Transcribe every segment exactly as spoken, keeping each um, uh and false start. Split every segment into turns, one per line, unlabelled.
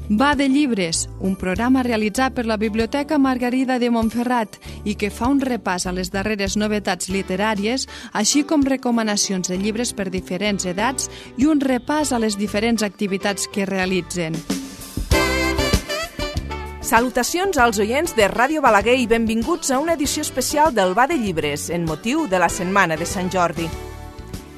Va de llibres, un programa realitzat per la Biblioteca Margarida de Montferrat i que fa un repàs a les darreres novetats literàries, així com recomanacions de llibres per diferents edats i un repàs a les diferents activitats que realitzen.
Salutacions als oients de Ràdio Balaguer i benvinguts a una edició especial del Va de Llibres, en motiu de la Setmana de Sant Jordi.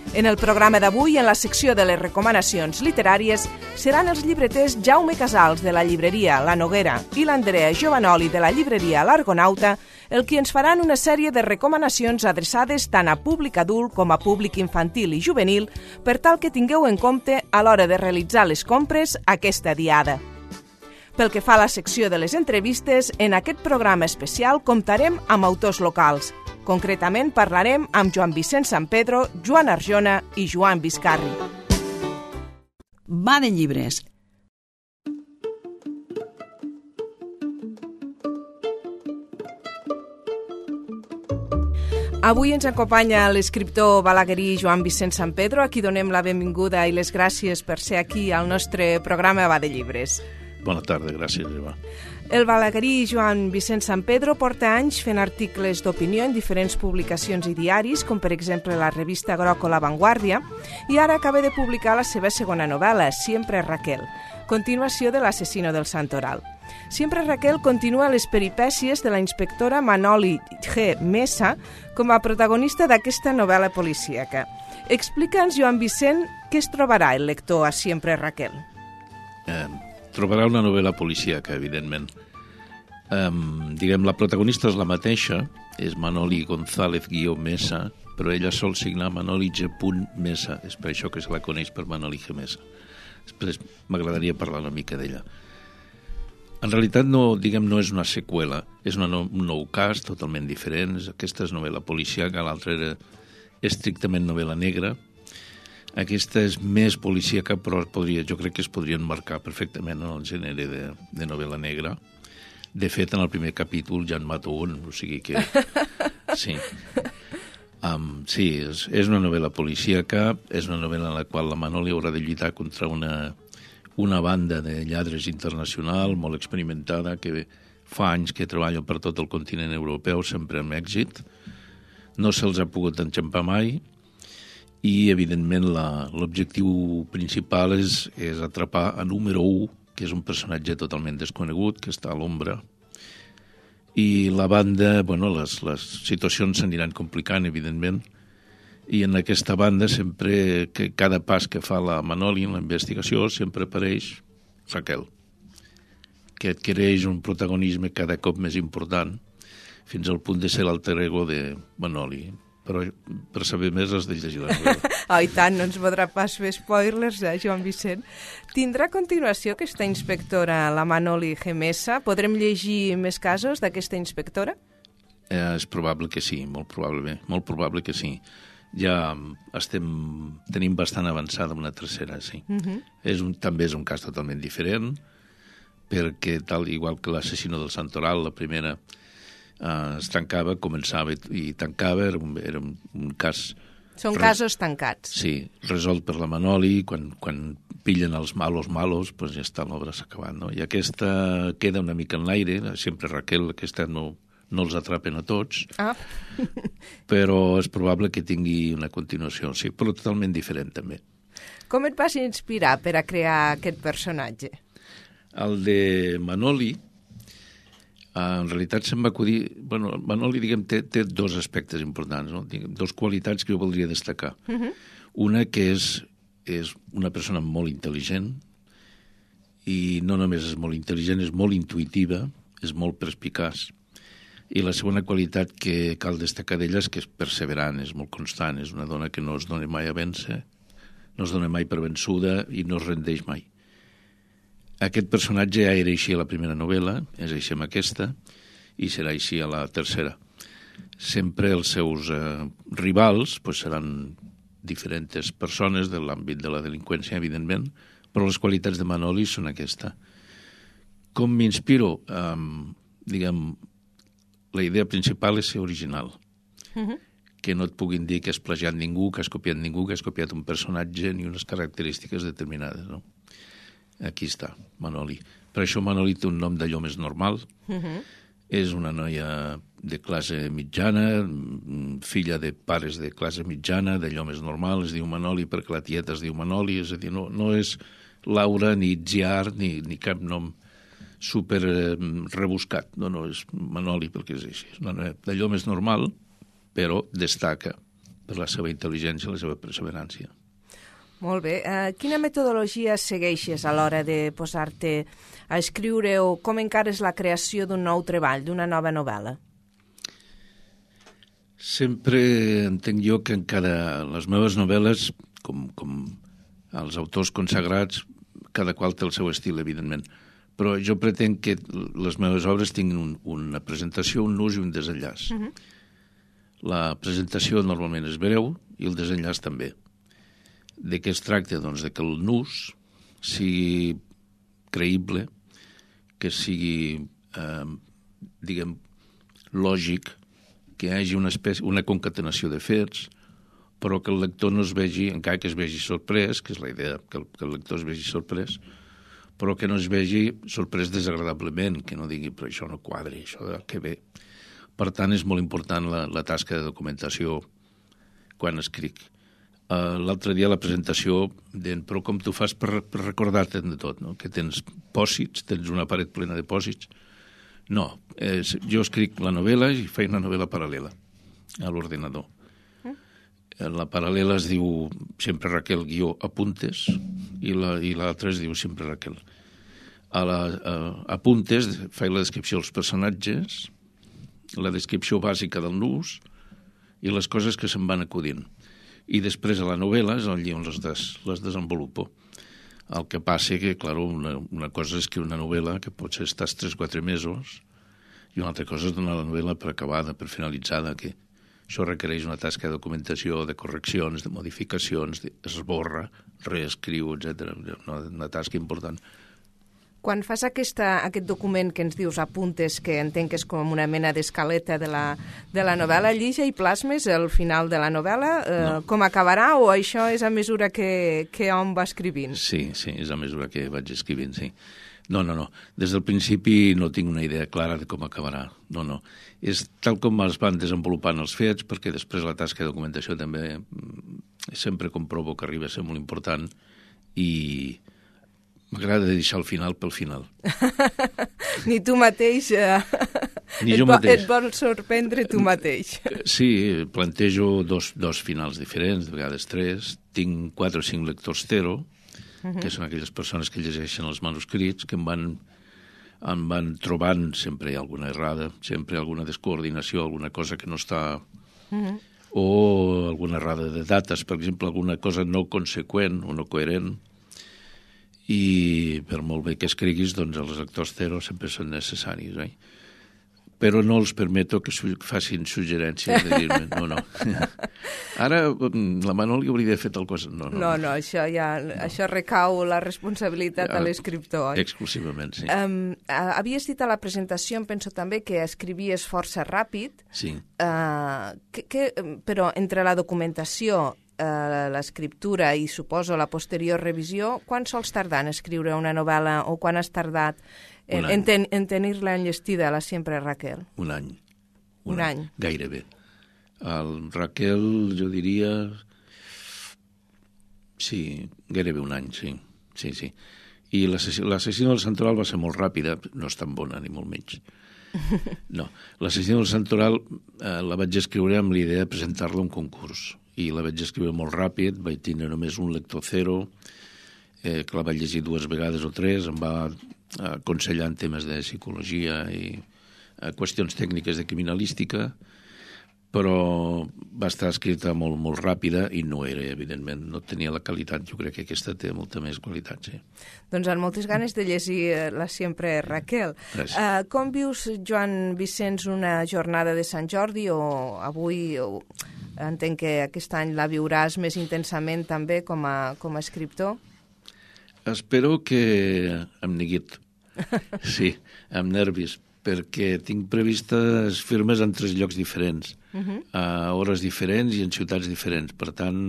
En el programa d'avui, en la secció de les recomanacions literàries, seran els llibreters Jaume Casals, de la llibreria La Noguera, i l'Andrea Giovanoli, de la llibreria L'Argonauta, el qui ens faran una sèrie de recomanacions adreçades tant a públic adult com a públic infantil i juvenil, per tal que tingueu en compte a l'hora de realitzar les compres aquesta diada. Pel que fa a la secció de les entrevistes, en aquest programa especial comptarem amb autors locals. Concretament parlarem amb Joan Vicent Sampedro, Joan Arjona i Joan Vizcarri.
Va de llibres.
Avui ens acompanya l'escriptor balaguerí Joan Vicent Sampedro, a qui donem la benvinguda i les gràcies per ser aquí al nostre programa Va de Llibres.
Bona tarda, gràcies, Eva.
El balaguerí Joan Vicent Sampedro porta anys fent articles d'opinió en diferents publicacions i diaris, com per exemple la revista Groco La Vanguardia, i ara acaba de publicar la seva segona novel·la, Siempre Raquel, continuació de l'Asesino del Santoral. Siempre Raquel continua les peripècies de la inspectora Manoli G. Mesa com a protagonista d'aquesta novel·la policíaca. Explica'ns, Joan Vicent, què es trobarà el lector a Siempre Raquel?
Eh, trobarà una novel·la policíaca, evidentment. Um, diguem, la protagonista és la mateixa, és Manoli González guió Mesa, però ella sol signar Manoli G. Mesa, és per això que se la coneix per Manoli G. Mesa. Després m'agradaria parlar una mica d'ella. En realitat, no, diguem, no és una seqüela, és una no, un nou cas totalment diferent. Aquesta és novel·la policíaca, l'altra era estrictament novel·la negra. Aquesta és més policíaca, però podria, jo crec que es podrien marcar perfectament en el gènere de, de novel·la negra. De fet, en el primer capítol ja en mato un, o sigui que... Sí, um, sí és, és una novel·la policíaca, és una novel·la en la qual la Manoli haurà de lluitar contra una, una banda de lladres internacional molt experimentada que fa anys que treballen per tot el continent europeu, sempre amb èxit. No se'ls ha pogut enxampar mai, i, evidentment, la, l'objectiu principal és, és atrapar a número u, que és un personatge totalment desconegut, que està a l'ombra. I la banda, bueno, les, les situacions s'aniran complicant, evidentment, i en aquesta banda sempre, que cada pas que fa la Manoli en la investigació, sempre apareix Raquel, que adquireix un protagonisme cada cop més important, fins al punt de ser l'alter ego de Manoli. Però per saber més has de llegir la novel·la.
Oh, i tant, no ens podrà pas fer spoilers, eh, Joan Vicent. Tindrà a continuació aquesta inspectora, la Manoli G. Mesa? Podrem llegir més casos d'aquesta inspectora?
Eh, és probable que sí, molt probable, molt probable que sí. Ja estem, tenim bastant avançada una tercera, sí. Uh-huh. És un, també és un cas totalment diferent, perquè tal igual que l'Asesino del Santoral, la primera... Uh, es tancava, començava i tancava, era un, era un, un cas...
Són res... casos tancats.
Sí, resolt per la Manoli, quan, quan pillen els malos malos, doncs ja està, l'obra s'ha acabat, no? I aquesta queda una mica en l'aire, sempre Raquel, aquesta no, no els atrapen a tots, ah. Però és probable que tingui una continuació, sí, però totalment diferent també.
Com et vas inspirar per a crear aquest personatge?
El de Manoli, Uh, en realitat se'm va acudir... Bueno, Manoli, diguem, té, té dos aspectes importants, no? Diguem, dos qualitats que jo voldria destacar. Uh-huh. Una que és, és una persona molt intel·ligent, i no només és molt intel·ligent, és molt intuïtiva, és molt perspicaç. I la segona qualitat que cal destacar d'ella és que és perseverant, és molt constant, és una dona que no es dona mai a vèncer, no es dona mai per vençuda i no es rendeix mai. Aquest personatge ja era així a la primera novel·la, és així amb aquesta, i serà així a la tercera. Sempre els seus eh, rivals pues, seran diferents persones de l'àmbit de la delinqüència, evidentment, però les qualitats de Manoli són aquesta. Com m'inspiro? Um, diguem, la idea principal és ser original. Uh-huh. Que no et puguin dir que has plagiat ningú, que has copiat ningú, que has copiat un personatge ni unes característiques determinades, no? Aquí està, Manoli. Per això Manoli té un nom d'allò més normal. Uh-huh. És una noia de classe mitjana, filla de pares de classe mitjana, d'allò més normal. Es diu Manoli perquè la tieta es diu Manoli. És a dir, no, no és Laura, ni Itziar, ni, ni cap nom super eh, rebuscat. No, no, és Manoli perquè és així. És una noia d'allò més normal, però destaca per la seva intel·ligència i la seva perseverància.
Molt bé. Uh, quina metodologia segueixes a l'hora de posar-te a escriure o com encares la creació d'un nou treball, d'una nova novel·la?
Sempre entenc jo que encara les meves novel·les, com, com els autors consagrats, cada qual té el seu estil, evidentment. Però jo pretenc que les meves obres tinguin un, una presentació, un nus i un desenllaç. Uh-huh. La presentació normalment és breu i el desenllaç també. De què es tracta? Doncs de que el nus sigui creïble, que sigui, eh, diguem, lògic, que hi hagi una, espècie, una concatenació de fets, però que el lector no es vegi, encara que es vegi sorprès, que és la idea, que el, que el lector es vegi sorprès, però que no es vegi sorprès desagradablement, que no digui, però això no quadra, això que bé. Per tant, és molt important la, la tasca de documentació quan escric. Uh, L'altre dia la presentació deien, però com tu fas per, per recordar-te'n de tot, no? Que tens pòsits, tens una paret plena de pòsits. No, eh, jo escric la novel·la i faig una novel·la paral·lela a l'ordenador. Mm. La paral·lela es diu sempre Raquel guió apuntes i l'altra es diu sempre Raquel. A la a, apuntes faig la descripció dels personatges, la descripció bàsica del nus i les coses que se'n van acudint. I després a la novel·la és on les, des, les desenvolupo. El que passa que, clar, una, una cosa és que una novel·la, que potser estàs tres o quatre mesos, i una altra cosa és donar la novel·la per acabada, per finalitzada, que això requereix una tasca de documentació, de correccions, de modificacions, d'esborra, reescriu, etcètera. Una, una tasca important.
Quan fas aquesta, aquest document que ens dius apuntes, que entenc que és com una mena d'escaleta de la, de la novel·la, allí ja hi plasmes el final de la novel·la? Eh, no. Com acabarà o això és a mesura que, que hom va escrivint?
Sí, sí, és a mesura que vaig escrivint, sí. No, no, no. Des del principi no tinc una idea clara de com acabarà. No, no. És tal com es van desenvolupant els fets, perquè després la tasca de documentació també sempre comprovo que arriba a ser molt important i m'agrada deixar el final pel final.
Ni tu mateix, eh,
Ni
et,
jo
vo
mateix.
Et vols sorprendre tu mateix.
Sí, plantejo dos, dos finals diferents, de vegades tres. Tinc quatre o cinc lectors zero, uh-huh. que són aquelles persones que llegeixen els manuscrits, que em van, em van trobant sempre alguna errada, sempre alguna descoordinació, alguna cosa que no està... Uh-huh. O alguna errada de dates, per exemple, alguna cosa no conseqüent o no coherent. I per molt bé que escriguis, doncs els lectors zero sempre són necessaris, eh? Però no els permeto que su facin suggerències de dir-me, no, no. Ara la Manoli hauria de fer tal cosa. No, no,
no, no això ja no. Això recau la responsabilitat a l'escriptor.
Exclusivament, sí.
Um, havies dit a la presentació, em penso també, que escrivies força ràpid,
sí.
uh, que, que, però entre la documentació, Uh, l'escriptura i, suposo, la posterior revisió, quan sols tardar en escriure una novel·la o quan has tardat en, en, ten en tenir-la enllestida, la sempre Raquel?
Un any.
Un, un any.
any. Gairebé. El Raquel, jo diria... Sí, gairebé un any, sí. Sí, sí. I l'assassino del Santoral va ser molt ràpida, no és tan bona, ni molt menys. No, l'assassino del Santoral eh, la vaig escriure amb l'idea de presentar-la a un concurs. I la vaig escriure molt ràpid, vaig tenir només un lector zero, eh, que la vaig llegir dues vegades o tres, em va aconsellar en temes de psicologia i eh, qüestions tècniques de criminalística, però va estar escrita molt, molt ràpida i no era, evidentment, no tenia la qualitat. Jo crec que aquesta té molta més qualitat, sí.
Doncs amb moltes ganes de llegir la sempre Raquel. Uh, com vius, Joan Vicenç, una jornada de Sant Jordi o avui... O... Entenc que aquest any la viuràs més intensament també com a, com a escriptor.
Espero que amb neguit, sí, amb nervis, perquè tinc previstes firmes en tres llocs diferents, uh-huh. a hores diferents i en ciutats diferents. Per tant,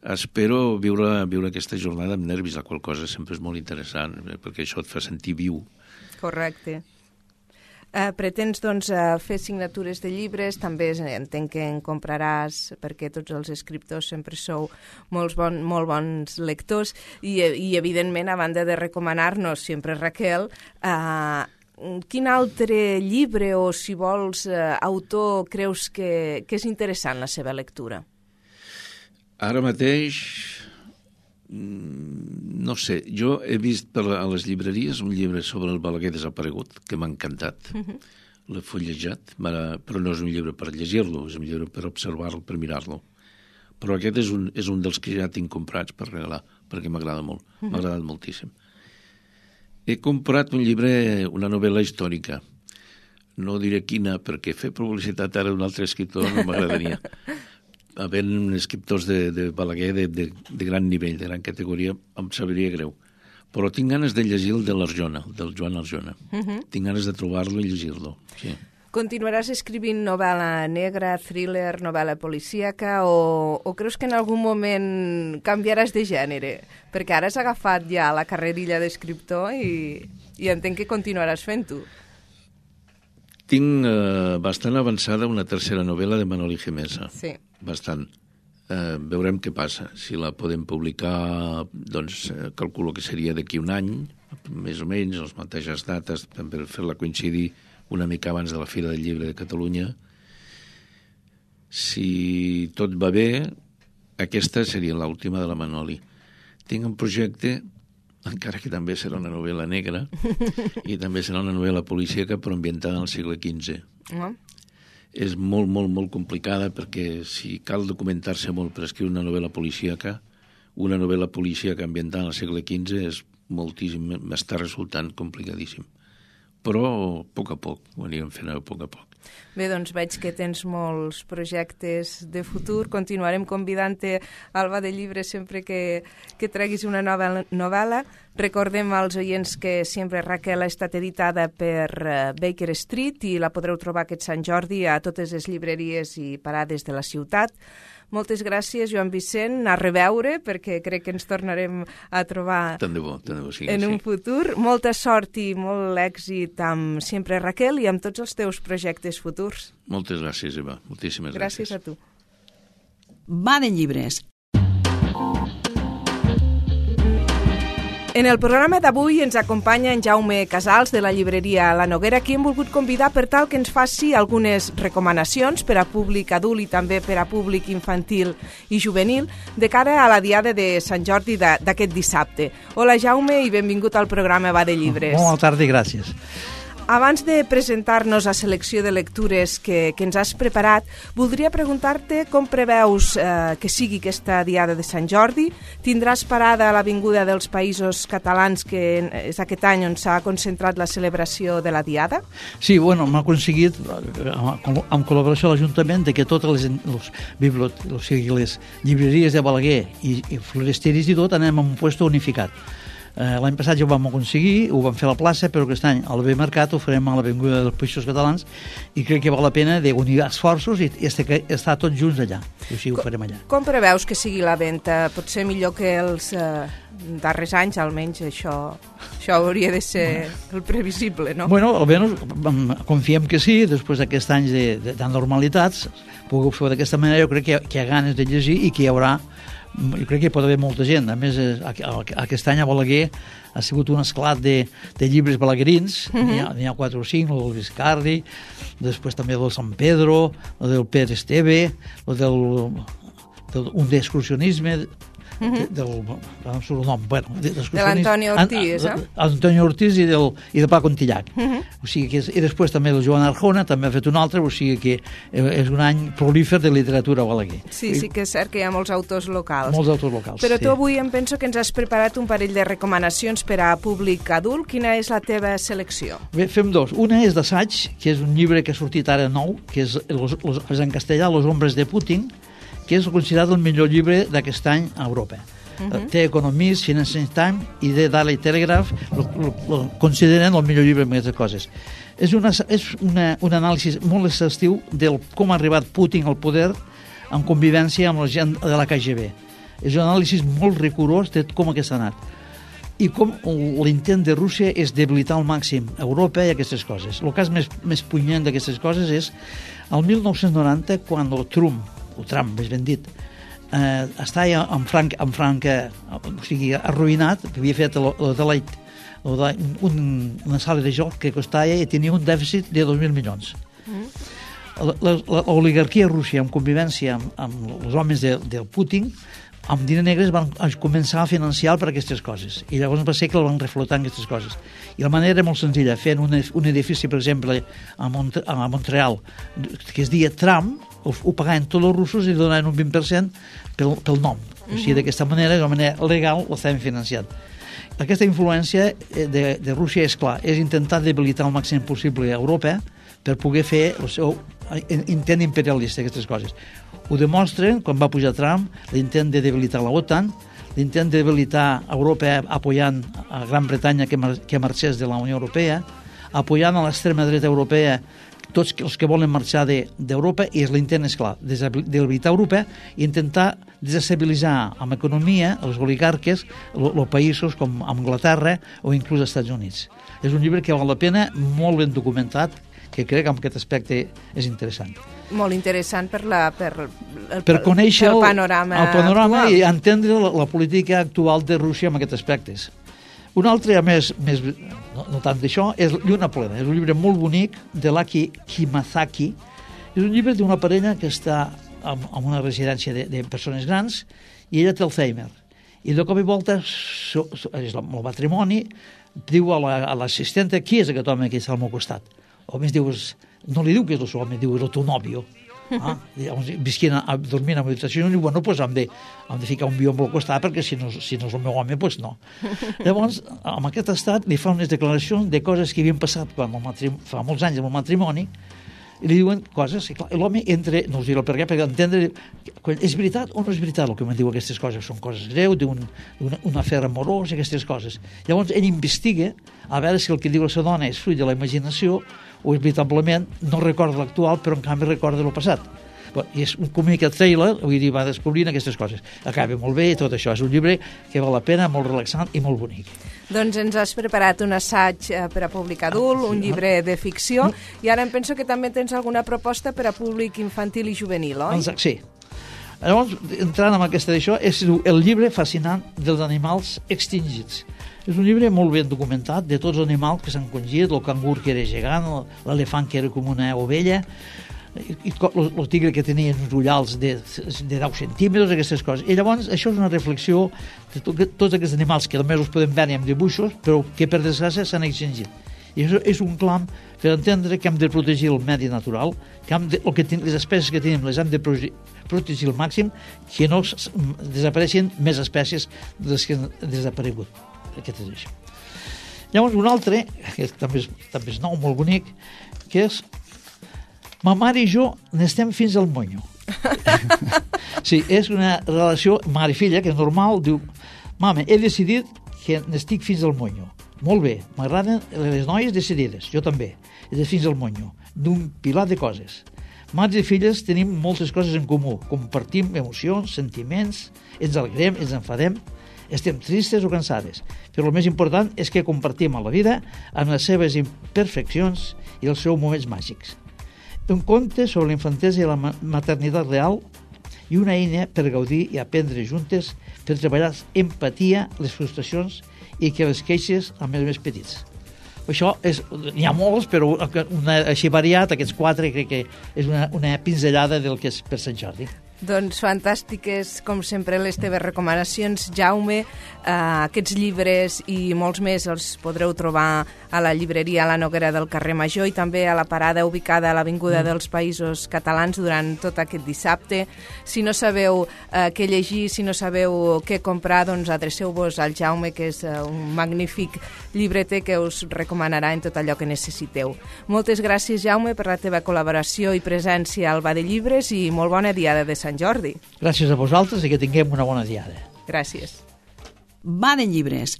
espero viure, viure aquesta jornada amb nervis, la qual cosa sempre és molt interessant, perquè això et fa sentir viu.
Correcte. Uh, pretens doncs, uh, fer signatures de llibres, també entenc que en compraràs, perquè tots els escriptors sempre sou molts bon, molt bons lectors, i, i evidentment, a banda de recomanar-nos sempre Raquel, uh, quin altre llibre o, si vols, uh, autor creus que, que és interessant la seva lectura?
Ara mateix, no sé, jo he vist per a les llibreries un llibre sobre el Balaguer desaparegut, que m'ha encantat. Uh-huh. L'he fullejat, però no és un llibre per llegir-lo, és un llibre per observar-lo, per mirar-lo. Però aquest és un, és un dels que ja tinc comprats per regalar, perquè m'agrada molt, uh-huh. m'ha agradat moltíssim. He comprat un llibre, una novel·la històrica. No diré quina, perquè fer publicitat ara d'un altre escriptor no m'agradaria. Havent escriptors de, de Balaguer de, de, de gran nivell, de gran categoria, em sabria greu. Però tinc ganes de llegir el de l'Arjona, del Joan Arjona. Uh-huh. Tinc ganes de trobar-lo i llegir-lo, sí.
Continuaràs escrivint novel·la negra, thriller, novel·la policíaca, o, o creus que en algun moment canviaràs de gènere? Perquè ara has agafat ja la carrerilla d'escriptor i, i entenc que continuaràs fent-ho.
Tinc eh, bastant avançada una tercera novel·la de Manoli Gemesa.
Sí.
Bastant. Eh, veurem què passa. Si la podem publicar, doncs eh, calculo que seria d'aquí un any, més o menys, les mateixes dates, per fer-la coincidir una mica abans de la Fira del Llibre de Catalunya. Si tot va bé, aquesta seria l'última de la Manoli. Tinc un projecte, encara que també serà una novel·la negra, i també serà una novel·la policíaca, però ambientada al segle quinze. Uh-huh. És molt, molt, molt complicada, perquè si cal documentar-se molt per escriure una novel·la policíaca, una novel·la policíaca ambientada al segle quinze és moltíssim, m'està resultant complicadíssim. Però, a poc a poc, ho anirem fent a poc a poc.
Bé, doncs veig que tens molts projectes de futur. Continuarem convidant-te al Ba de Llibres sempre que, que treguis una nova novel·la. Recordem als oients que Sempre Raquel ha estat editada per Baker Street i la podreu trobar aquest Sant Jordi a totes les llibreries i parades de la ciutat. Moltes gràcies, Joan Vicent, a reveure, perquè crec que ens tornarem a trobar
tant de bo, tant de bo, sí,
en
sí.
un futur. Molta sort i molt èxit amb Sempre Raquel i amb tots els teus projectes futurs.
Moltes gràcies, Eva. Moltíssimes gràcies.
Gràcies a tu.
Va de Llibres.
En el programa d'avui ens acompanya en Jaume Casals de la llibreria La Noguera, qui hem volgut convidar per tal que ens faci algunes recomanacions per a públic adult i també per a públic infantil i juvenil de cara a la diada de Sant Jordi d'aquest dissabte. Hola Jaume i benvingut al programa Va de Llibres.
Bona tarda i gràcies.
Abans de presentar-nos la selecció de lectures que, que ens has preparat, voldria preguntar-te com preveus eh, que sigui aquesta diada de Sant Jordi. Tindràs parada a l'Avinguda dels Països Catalans, que és aquest any on s'ha concentrat la celebració de la diada?
Sí, bueno, m'ha aconseguit, amb col·laboració de l'Ajuntament, que totes les, les, bibliot, o sigui, les llibreries de Balaguer i, i floresteris i tot anem a un lloc unificat. Eh, L'any passat ja ho vam aconseguir, ho vam fer a la plaça, però aquest any al B Mercat ho farem a l'Avinguda dels Països Catalans i crec que val la pena d'unir esforços i estar tots junts allà. I així ho farem allà.
Com preveus que sigui la venda? Potser millor que els eh, darrers anys, almenys això, això hauria de ser el previsible, no?
Bueno, almenys confiem que sí, després d'aquests anys de, de, de normalitats, pugueu fer d'aquesta manera, jo crec que, que hi ha ganes de llegir i que hi haurà, jo crec que hi pot haver molta gent. A més, aquest any a Balaguer ha sigut un esclat de, de llibres balaguerins. Uh-huh. N'hi ha, n'hi ha quatre o cinc, el del Viscardi, després també el del Sant Pedro, el del Pere Esteve, el del, del un d'excursionisme, uh-huh. del, no surt el nom, bueno,
de l'Antoni Ortiz, eh?
Antoni Ortiz i del, i de Pla Contillac. Uh-huh. O sigui que és, i després també el Joan Arjona també ha fet un altre, o sigui que és un any prolífer de literatura a Balaguer.
Sí, sí que és cert que hi ha molts autors locals.
Molts autors locals,
Però
sí.
tu avui em penso que ens has preparat un parell de recomanacions per a públic adult. Quina és la teva selecció?
Bé, fem dos. Una és d'assaig, que és un llibre que ha sortit ara nou, que és, los, los, és en castellà, Los hombres de Putin, que és considerat el millor llibre d'aquest any a Europa. Uh-huh. The Economist, Financial Times i The Daily Telegraph lo, lo, lo consideren el millor llibre amb aquestes coses. És, una, és una, un anàlisi molt exhaustiu del com ha arribat Putin al poder en convivència amb la gent de la K G B. És un anàlisi molt rigorós de com aquesta ha anat. I com l'intent de Rússia és debilitar al màxim Europa i aquestes coses. El cas més, més punyent d'aquestes coses és el mil nou-cents noranta, quan el Trump, o Trump, més ben dit, eh, estava en franc, en franca, o sigui, arruïnat, havia fet el, el de l'Eit, un, una sala de joc que costava i tenia un dèficit de dos mil milions. Mm. L'oligarquia rússia, en convivència amb, amb els homes de, del Putin, amb diners negres van començar a financiar per aquestes coses, i llavors va ser que el van reflotar en aquestes coses. I la manera era molt senzilla, fent un, un edifici, per exemple, a, Mont a Montreal, que es deia Tram, ho, ho pagaven tots els russos i donaven un vint per cent pel, pel nom. O sigui, d'aquesta manera, de manera legal, ho estaven financiant. Aquesta influència de, de Rússia, és clar, és intentar debilitar el màxim possible a Europa per poder fer el seu intent imperialista, aquestes coses. Ho demostren quan va pujar Trump, l'intent de debilitar la OTAN, l'intent de debilitar Europa apoyant a Gran Bretanya que, mar que marxés de la Unió Europea, apoyant a l'extrema dreta europea tots els que volen marxar d'Europa, i és l'intent, és clar, de debilitar Europa i intentar desestabilitzar amb economia els oligarques, els països com Anglaterra o inclús els Estats Units. És un llibre que val la pena, molt ben documentat, que crec que en aquest aspecte és interessant.
Molt interessant per, la, per, el,
per conèixer
el panorama,
el panorama
actual.
I entendre la, la política actual de Rússia en aquests aspectes. Un altre, a més, més no, no tant d'això, és Lluna plena. És un llibre molt bonic de l'Aki Kimazaki. És un llibre d'una parella que està en, en una residència de, de persones grans i ella té Alzheimer. I de cop i volta so, so, és el matrimoni, diu a l'assistenta, la, qui és aquest home que està al meu costat? O més dius, no li diu que és el seu home, diu, és el teu nòvio. Ah? Visquien a, dormint a l'habitació i diu, bueno, pues hem de, hem de ficar un bió al costat perquè si no, si no és el meu home, pues no. Llavors, en aquest estat li fa unes declaracions de coses que havien passat quan el fa molts anys amb el matrimoni, i li diuen coses, i clar, l'home entra, no us diré el per què, perquè entendre, és veritat o no és veritat el que em diu aquestes coses, són coses greus, d'un un, un afer amorós, aquestes coses. Llavors ell investiga a veure si el que diu la seva dona és fruit de la imaginació o és veritablement, no recorda l'actual, però en canvi recorda el passat. Bon, i és un comic trailer, vull dir, va descobrint aquestes coses. Acaba molt bé i tot això. És un llibre que val la pena, molt relaxant i molt bonic.
Doncs ens has preparat un assaig per a públic adult, un llibre de ficció, i ara em penso que també tens alguna proposta per a públic infantil i juvenil, oi?
Sí. Llavors, entrant en aquesta d'això, és el llibre fascinant dels animals extingits. És un llibre molt ben documentat de tots els animals que s'han congit, el cangur que era gegant, l'elefant que era com una ovella, i el tigre que tenia uns ullals de, de deu centímetres, aquestes coses. I llavors això és una reflexió de to, tots aquests animals que només els podem veure amb dibuixos, però que per desgràcia s'han extingit. I això és un clam per entendre que hem de protegir el medi natural, que, hem de, el que ten, les espècies que tenim les hem de protegir al màxim, que no desapareixin més espècies de les que han desaparegut. Aquest és això. Llavors un altre, que també és, també és nou, molt bonic, que és Ma mare i jo n'estem fins al monyo. Sí, és una relació mare i filla, que és normal, diu, mama, he decidit que n'estic fins al monyo. Molt bé, m'agraden les noies decidides, jo també, és fins al monyo, d'un pilar de coses. Mares i filles tenim moltes coses en comú, compartim emocions, sentiments, ens alegrem, ens enfadem, estem tristes o cansades, però el més important és que compartim a la vida amb les seves imperfeccions i els seus moments màgics. Un conte sobre la infantesa i la maternitat real i una eina per gaudir i aprendre juntes per treballar empatia, les frustracions i que les queixes amb els més petits. Això és, n'hi ha molts, però una, així variat, aquests quatre crec que és una, una pinzellada del que és per Sant Jordi.
Doncs fantàstiques, com sempre, les teves recomanacions, Jaume. Uh, aquests llibres i molts més els podreu trobar a la llibreria La Noguera del carrer Major i també a la parada ubicada a l'Avinguda mm. dels Països Catalans durant tot aquest dissabte. Si no sabeu uh, què llegir, si no sabeu què comprar, doncs adreceu-vos al Jaume, que és uh, un magnífic llibreter que us recomanarà en tot allò que necessiteu. Moltes gràcies, Jaume, per la teva col·laboració i presència al Va de Llibres i molt bona diada de Sant Jordi.
Gràcies a vosaltres i que tinguem una bona diada.
Gràcies.
Va de Llibres.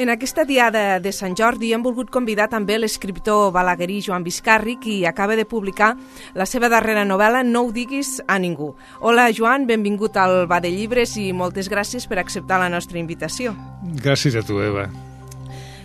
En aquesta diada de Sant Jordi hem volgut convidar també l'escriptor balaguerí Joan Biscarri, qui acaba de publicar la seva darrera novel·la No ho diguis a ningú. Hola, Joan, benvingut al Va de Llibres i moltes gràcies per acceptar la nostra invitació.
Gràcies a tu, Eva.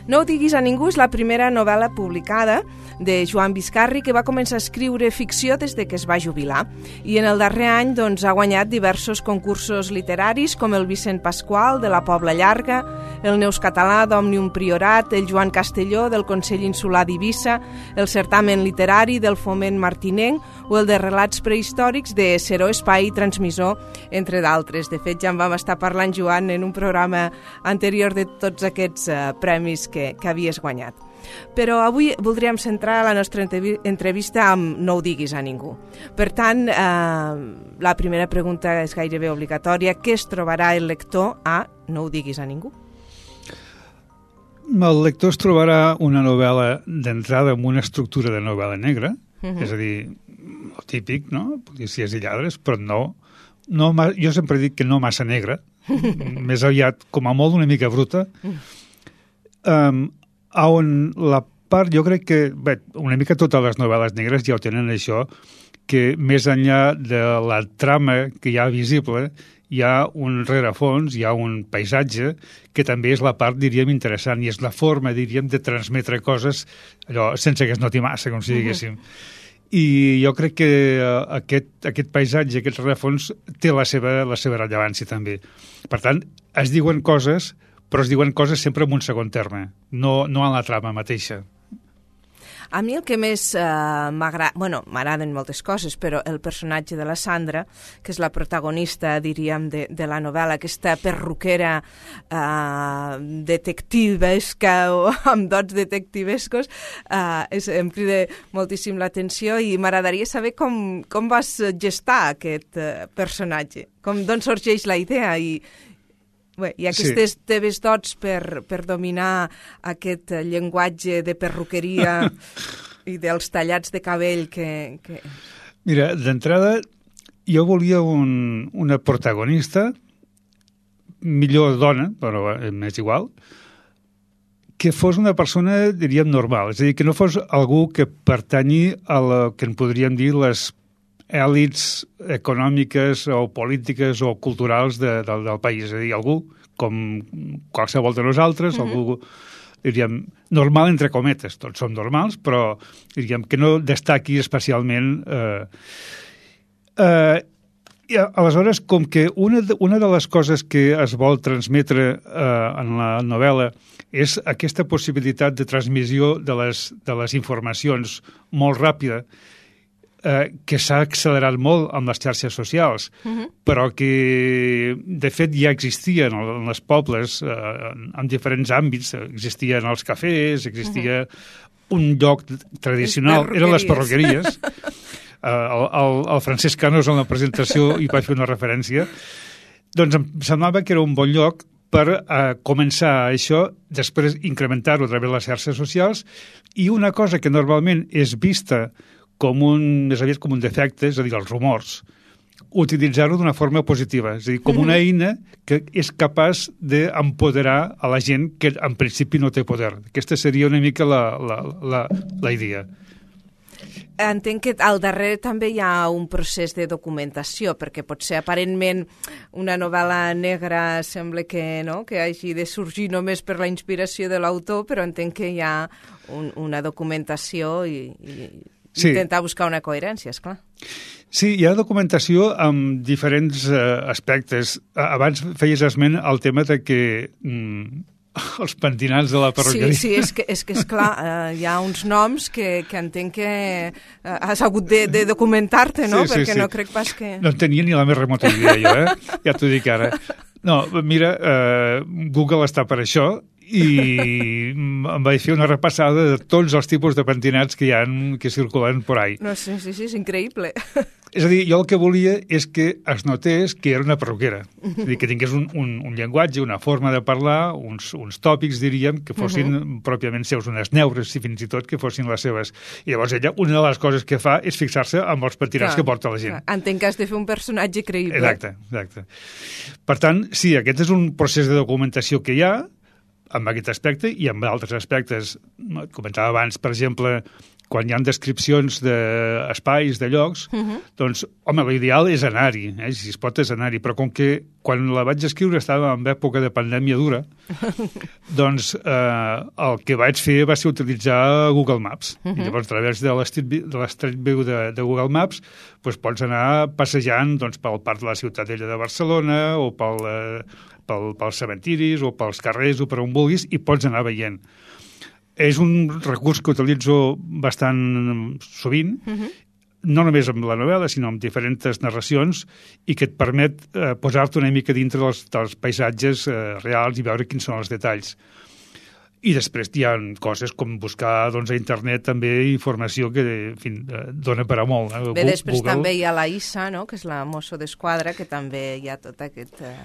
No ho diguis a ningú és la primera novel·la publicada de Joan Biscarri, que va començar a escriure ficció des de que es va jubilar. I en el darrer any doncs, ha guanyat diversos concursos literaris, com el Vicent Pasqual, de la Pobla Llarga, el Neus Català d'Òmnium Priorat, el Joan Castelló, del Consell Insular d'Eivissa, el Certamen Literari del Foment Martinenc o el de Relats Prehistòrics de Seró Espai i Transmissor, entre d'altres. De fet, ja en vam estar parlant, Joan, en un programa anterior de tots aquests eh, premis que, que havies guanyat. Però avui voldríem centrar la nostra entrevista amb No ho diguis a ningú. Per tant, eh, la primera pregunta és gairebé obligatòria. Què es trobarà el lector a No ho diguis a ningú?
El lector es trobarà una novel·la d'entrada amb una estructura de novel·la negra, uh-huh. és a dir, el típic, no? Policies i lladres, però no, no jo sempre dic que no massa negra, més aviat, com a molt, una mica bruta, um, on la part, jo crec que, bé, una mica totes les novel·les negres ja ho tenen això, que més enllà de la trama que hi ha visible, hi ha un rerefons, hi ha un paisatge, que també és la part, diríem, interessant, i és la forma, diríem, de transmetre coses, allò, sense que es noti massa, com si diguéssim. I jo crec que aquest, aquest paisatge, aquest rerefons, té la seva, la seva rellevància, també. Per tant, es diuen coses, però es diuen coses sempre en un segon terme, no, no en la trama mateixa.
A mi el que més eh, m'agrada, bueno, m'agraden moltes coses, però el personatge de la Sandra, que és la protagonista, diríem, de, de la novel·la, aquesta perruquera eh, detectivesca o amb dots detectivescos, eh, és, em crida moltíssim l'atenció i m'agradaria saber com, com vas gestar aquest eh, personatge, com d'on sorgeix la idea i Bé, i aquestes sí. teves dots per, per dominar aquest llenguatge de perruqueria i dels tallats de cabell que... que...
Mira, d'entrada, jo volia un, una protagonista, millor dona, però m'és igual, que fos una persona, diríem, normal. És a dir, que no fos algú que pertanyi a la que en podríem dir les èlits econòmiques o polítiques o culturals de, de, del país. És a dir, algú com qualsevol de nosaltres, mm-hmm. algú, diríem, normal entre cometes. Tots som normals, però diríem que no destaqui especialment. Eh, eh, i aleshores, com que una de, una de les coses que es vol transmetre eh, en la novel·la és aquesta possibilitat de transmissió de les, de les informacions molt ràpida, Eh, que s'ha accelerat molt amb les xarxes socials, uh-huh. però que, de fet, ja existien en els pobles, eh, en diferents àmbits. Existien els cafès, existia uh-huh. un lloc tradicional, eren les perruqueries. eh, el, el, el Francesc Canos, en la presentació, hi va fer una referència. Doncs em semblava que era un bon lloc per eh, començar això, després incrementar-ho a través de les xarxes socials, i una cosa que normalment és vista com un, més aviat com un defecte, és a dir, els rumors, utilitzar-ho d'una forma positiva, és a dir, com una eina que és capaç d'empoderar a la gent que en principi no té poder. Aquesta seria una mica la, la, la, la idea.
Entenc que al darrere també hi ha un procés de documentació, perquè potser aparentment una novel·la negra sembla que, no, que hagi de sorgir només per la inspiració de l'autor, però entenc que hi ha un, una documentació i... i... Sí. Intentar buscar una coherència, esclar.
Sí, hi ha documentació amb diferents eh, aspectes. Abans feies esment al tema de que mm, els pentinats de la perruqueria...
Sí, sí, és que, és que esclar, eh, hi ha uns noms que, que entenc que eh, has hagut de, de documentar-te, no? Sí, sí, perquè sí. No crec pas que...
No en tenia ni la més remota idea, jo, eh? Ja t'ho dic ara. No, mira, eh, Google està per això, i em vaig fer una repassada de tots els tipus de pentinats que hi ha, que circulen por ahí.
No, sí, sí, sí, és increïble.
És a dir, jo el que volia és que es notés que era una perruquera. És a dir, que tingués un, un, un llenguatge, una forma de parlar, uns, uns tòpics, diríem, que fossin uh-huh. pròpiament seus, unes neures, si fins i tot que fossin les seves. I llavors ella, una de les coses que fa és fixar-se amb els pentinats clar, que porta la gent.
Clar. Entenc que has de fer un personatge creïble.
Exacte, exacte. Per tant, sí, aquest és un procés de documentació que hi ha. amb aquest aspecte i amb altres aspectes. Comentava abans, per exemple, quan hi ha descripcions d'espais, de llocs, uh -huh. doncs, home, l'ideal és anar-hi, eh? Si es pot és anar-hi, però com que quan la vaig escriure estava en època de pandèmia dura, doncs eh, el que vaig fer va ser utilitzar Google Maps. Uh -huh. I llavors, a través de l'Street View de, de Google Maps, doncs pots anar passejant doncs, pel parc de la Ciutadella de Barcelona o pel, eh, pel, pels cementiris o pels carrers o per on vulguis i pots anar veient. És un recurs que utilitzo bastant sovint, uh-huh. no només amb la novel·la, sinó amb diferents narracions, i que et permet eh, posar-te una mica dintre dels, dels paisatges eh, reals i veure quins són els detalls. I després hi ha coses com buscar doncs, a internet també informació que en fi, dona per a molt. Eh?
Bé, després Google... també hi ha la Issa, no? Que és la mosso d'esquadra, que també hi ha tota aquest, eh,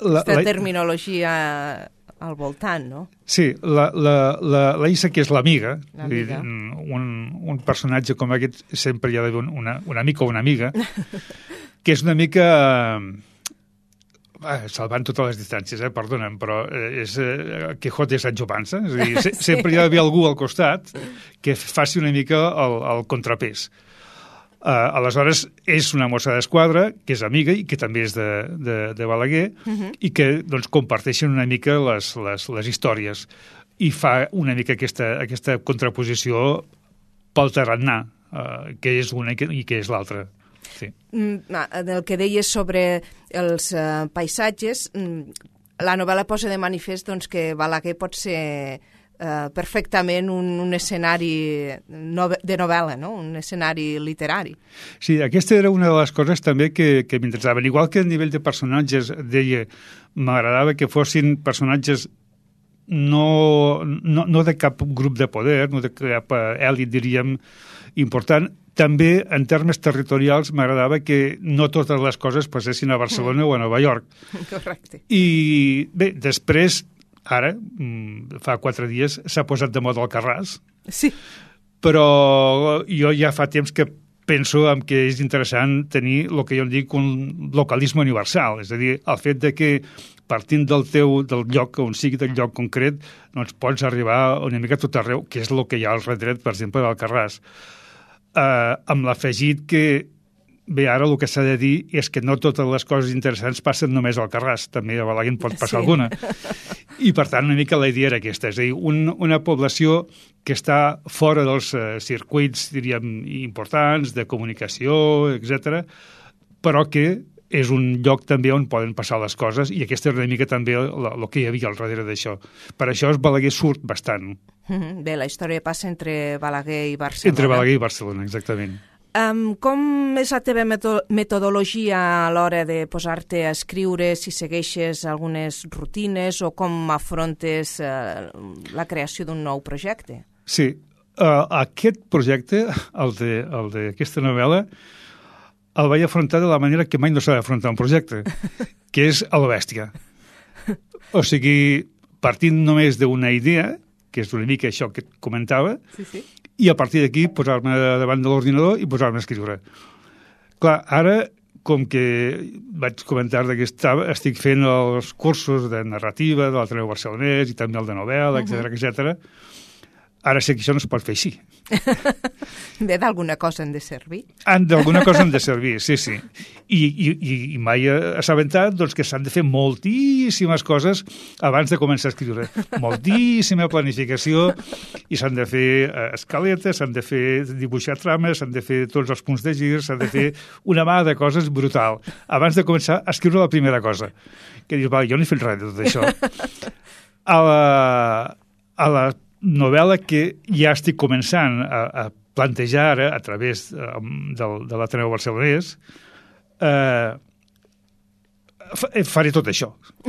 la,
aquesta
la...
terminologia al voltant, no?
Sí, la, la, la, la Issa, que és l'amiga,
l'amiga.
Un, un personatge com aquest sempre hi ha d'haver una, una amica o una amiga, que és una mica... Eh, salvant totes les distàncies, eh, perdona'm, però és eh, Quijote de Sancho Panza, és a dir, se, sempre hi ha d'haver algú al costat que faci una mica el, el contrapès. Uh, aleshores, és una mossa d'esquadra que és amiga i que també és de, de, de Balaguer uh -huh. i que doncs, comparteixen una mica les, les, les històries i fa una mica aquesta, aquesta contraposició pel tarannà, uh, que és una i que, i que és l'altra. Sí.
Mm, el que deies sobre els uh, paisatges, mm, la novel·la posa de manifest doncs, que Balaguer pot ser Uh, perfectament un, un escenari nove, de novel·la, no? Un escenari literari.
Sí, aquesta era una de les coses també que, que m'interessaven. Igual que a nivell de personatges, deia, m'agradava que fossin personatges no, no, no de cap grup de poder, no de cap èlit, diríem, important. També, en termes territorials, m'agradava que no totes les coses passessin a Barcelona mm. o a Nova York.
Correcte.
I bé, després... Ara, fa quatre dies, s'ha posat de moda el Carràs.
Sí.
Però jo ja fa temps que penso en que és interessant tenir el que jo en dic un localisme universal. És a dir, el fet de que partint del teu del lloc, on sigui del lloc concret, doncs pots arribar una mica a tot arreu, que és el que hi ha al redret, per exemple, del Carràs. Eh, amb l'afegit que bé, ara el que s'ha de dir és que no totes les coses interessants passen només al Carràs, també a Balaguer en pot passar sí. alguna. I, per tant, una mica la idea era aquesta, és a dir, un, una població que està fora dels eh, circuits, diríem, importants, de comunicació, etcètera, però que és un lloc també on poden passar les coses, i aquesta era una mica també el que hi havia al darrere d'això. Per això el Balaguer surt bastant.
Bé, la història passa entre Balaguer i Barcelona.
Entre Balaguer i Barcelona, exactament.
Um, com és la teva meto metodologia a l'hora de posar-te a escriure, si segueixes algunes rutines o com afrontes uh, la creació d'un nou projecte?
Sí, uh, aquest projecte, el d'aquesta novel·la, el vaig afrontar de la manera que mai no s'ha d'afrontar un projecte, que és a la bèstia. O sigui, partint només d'una idea, que és una mica això que et comentava,
sí, sí.
i a partir d'aquí posar-me davant de l'ordinador i posar-me a escriure. Clar, ara, com que vaig comentar que estava, estic fent els cursos de narrativa de l'Ateneu Barcelonès i també el de novel·la, etcètera, uh-huh. etcètera, ara sé que això no es pot fer així.
Bé, d'alguna cosa han de servir.
D'alguna cosa han de servir, sí, sí. I, i, i mai he assabentat doncs, que s'han de fer moltíssimes coses abans de començar a escriure. Moltíssima planificació, i s'han de fer escaletes, s'han de fer dibuixar trames, s'han de fer tots els punts de gir, s'han de fer una mà de coses brutal abans de començar a escriure la primera cosa. Que dius, va, jo no he fet res de tot això. A la, a la novel·la que ja estic començant a, a plantejar ara a través del, de l'Ateneu Barcelonès, eh, faré tot això.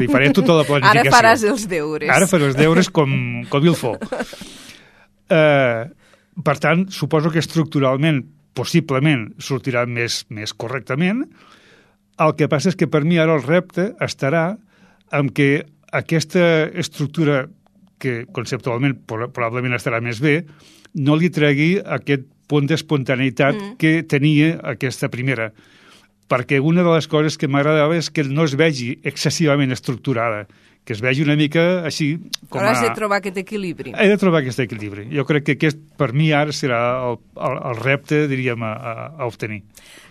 Faré tota la planificació.
Ara faràs els deures.
Ara faré els deures com, com il faut. Eh, per tant, suposo que estructuralment, possiblement, sortirà més, més correctament. El que passa és que per mi ara el repte estarà en que aquesta estructura que conceptualment probablement estarà més bé, no li tregui aquest punt d'espontaneïtat mm. que tenia aquesta primera. Perquè una de les coses que m'agradava és que no es vegi excessivament estructurada, que es vegi una mica així com
Però
a...
has de trobar aquest equilibri.
He de trobar aquest equilibri. Jo crec que aquest, per mi, ara serà el, el, el repte, diríem, a, a, a obtenir.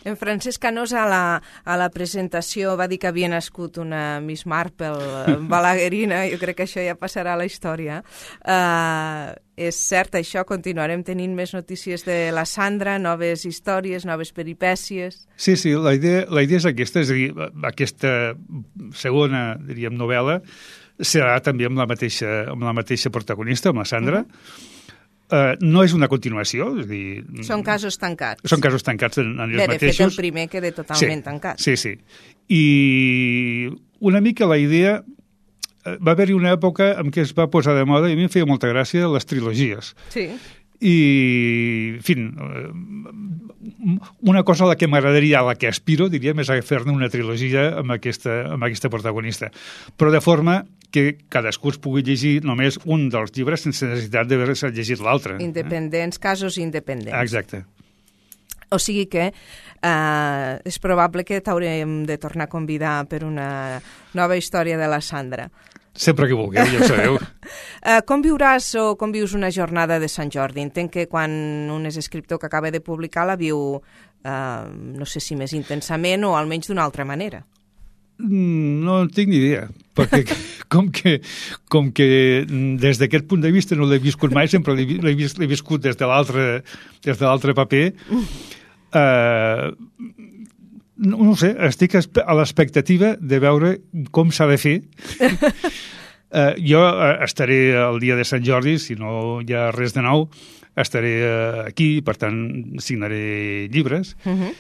En Francesc Canós a la, a la presentació va dir que havia nascut una Miss Marple balaguerina, jo crec que això ja passarà a la història. Uh, és cert això, continuarem tenint més notícies de la Sandra, noves històries, noves peripècies...
Sí, sí, la idea, la idea és aquesta, és a dir, aquesta segona, diríem, novel·la serà també amb la mateixa, amb la mateixa protagonista, amb la Sandra. Uh-huh. Uh, no és una continuació, és a dir...
Són casos tancats.
Són casos tancats en, en ells
Bé,
mateixos.
de fet, el primer queda totalment
sí,
tancat.
Sí, sí. I una mica la idea... Va haver-hi una època en què es va posar de moda, i a mi em feia molta gràcia, les trilogies.
Sí.
I, en fi, una cosa a la que m'agradaria, a la que aspiro, diríem, és a fer-ne una trilogia amb aquesta, amb aquesta protagonista. Però de forma que cadascú es pugui llegir només un dels llibres sense necessitat d'haver-se llegit l'altre.
Independents, eh? Casos independents.
Exacte.
O sigui que eh, és probable que t'haurem de tornar a convidar per una nova història de la Sandra.
Sempre que vulgueu, ja ho sabeu.
uh, com viuràs o com vius una jornada de Sant Jordi? Entenc que quan un és escriptor que acaba de publicar la viu, uh, no sé si més intensament o almenys d'una altra manera.
No en tinc ni idea, perquè com que, com que des d'aquest punt de vista no l'he viscut mai, sempre l'he, l'he, vis, l'he viscut des de l'altre des de l'altre paper. Eh, no, no sé, estic a l'expectativa de veure com s'ha de fer. eh, jo estaré el dia de Sant Jordi, si no hi ha res de nou, estaré aquí, per tant signaré llibres. Uh-huh.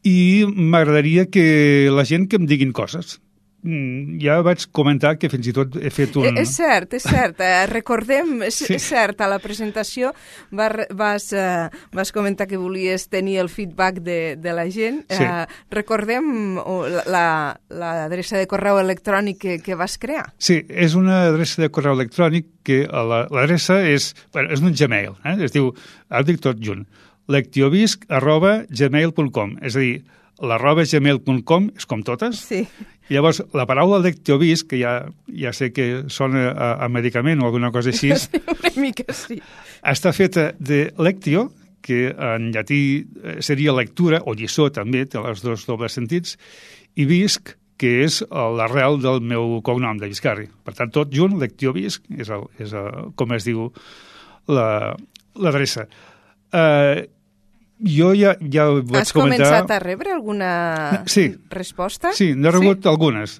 I m'agradaria que la gent que em diguin coses. Ja vaig comentar que fins i tot he fet un...
És cert, és cert. Eh, recordem, és,
sí. és
cert, a la presentació vas, vas, eh, vas comentar que volies tenir el feedback de, de la gent. Sí. Eh, recordem l'adreça la, de correu electrònic que, que vas crear.
Sí, és una adreça de correu electrònic que l'adreça és... Bueno, és un Gmail, eh? Es diu, ara dic tot junt, lectiovisc arroba gmail punt com, és a dir, l'arroba gmail punt com és com totes.
Sí.
I llavors, la paraula lectiovisc, que ja, ja sé que sona a, a medicament o alguna cosa així,
una mica sí.
Està feta de lectio, que en llatí seria lectura, o lliçó també, té els dos dobles sentits, i visc, que és l'arrel del meu cognom, de Viscarri. Per tant, tot junt, lectiovisc, és, el, és el, com es diu l'adreça. Uh, jo ja, ja ho vaig
Has
comentar...
Has començat a rebre alguna
sí.
resposta?
Sí, n'he rebut sí? algunes.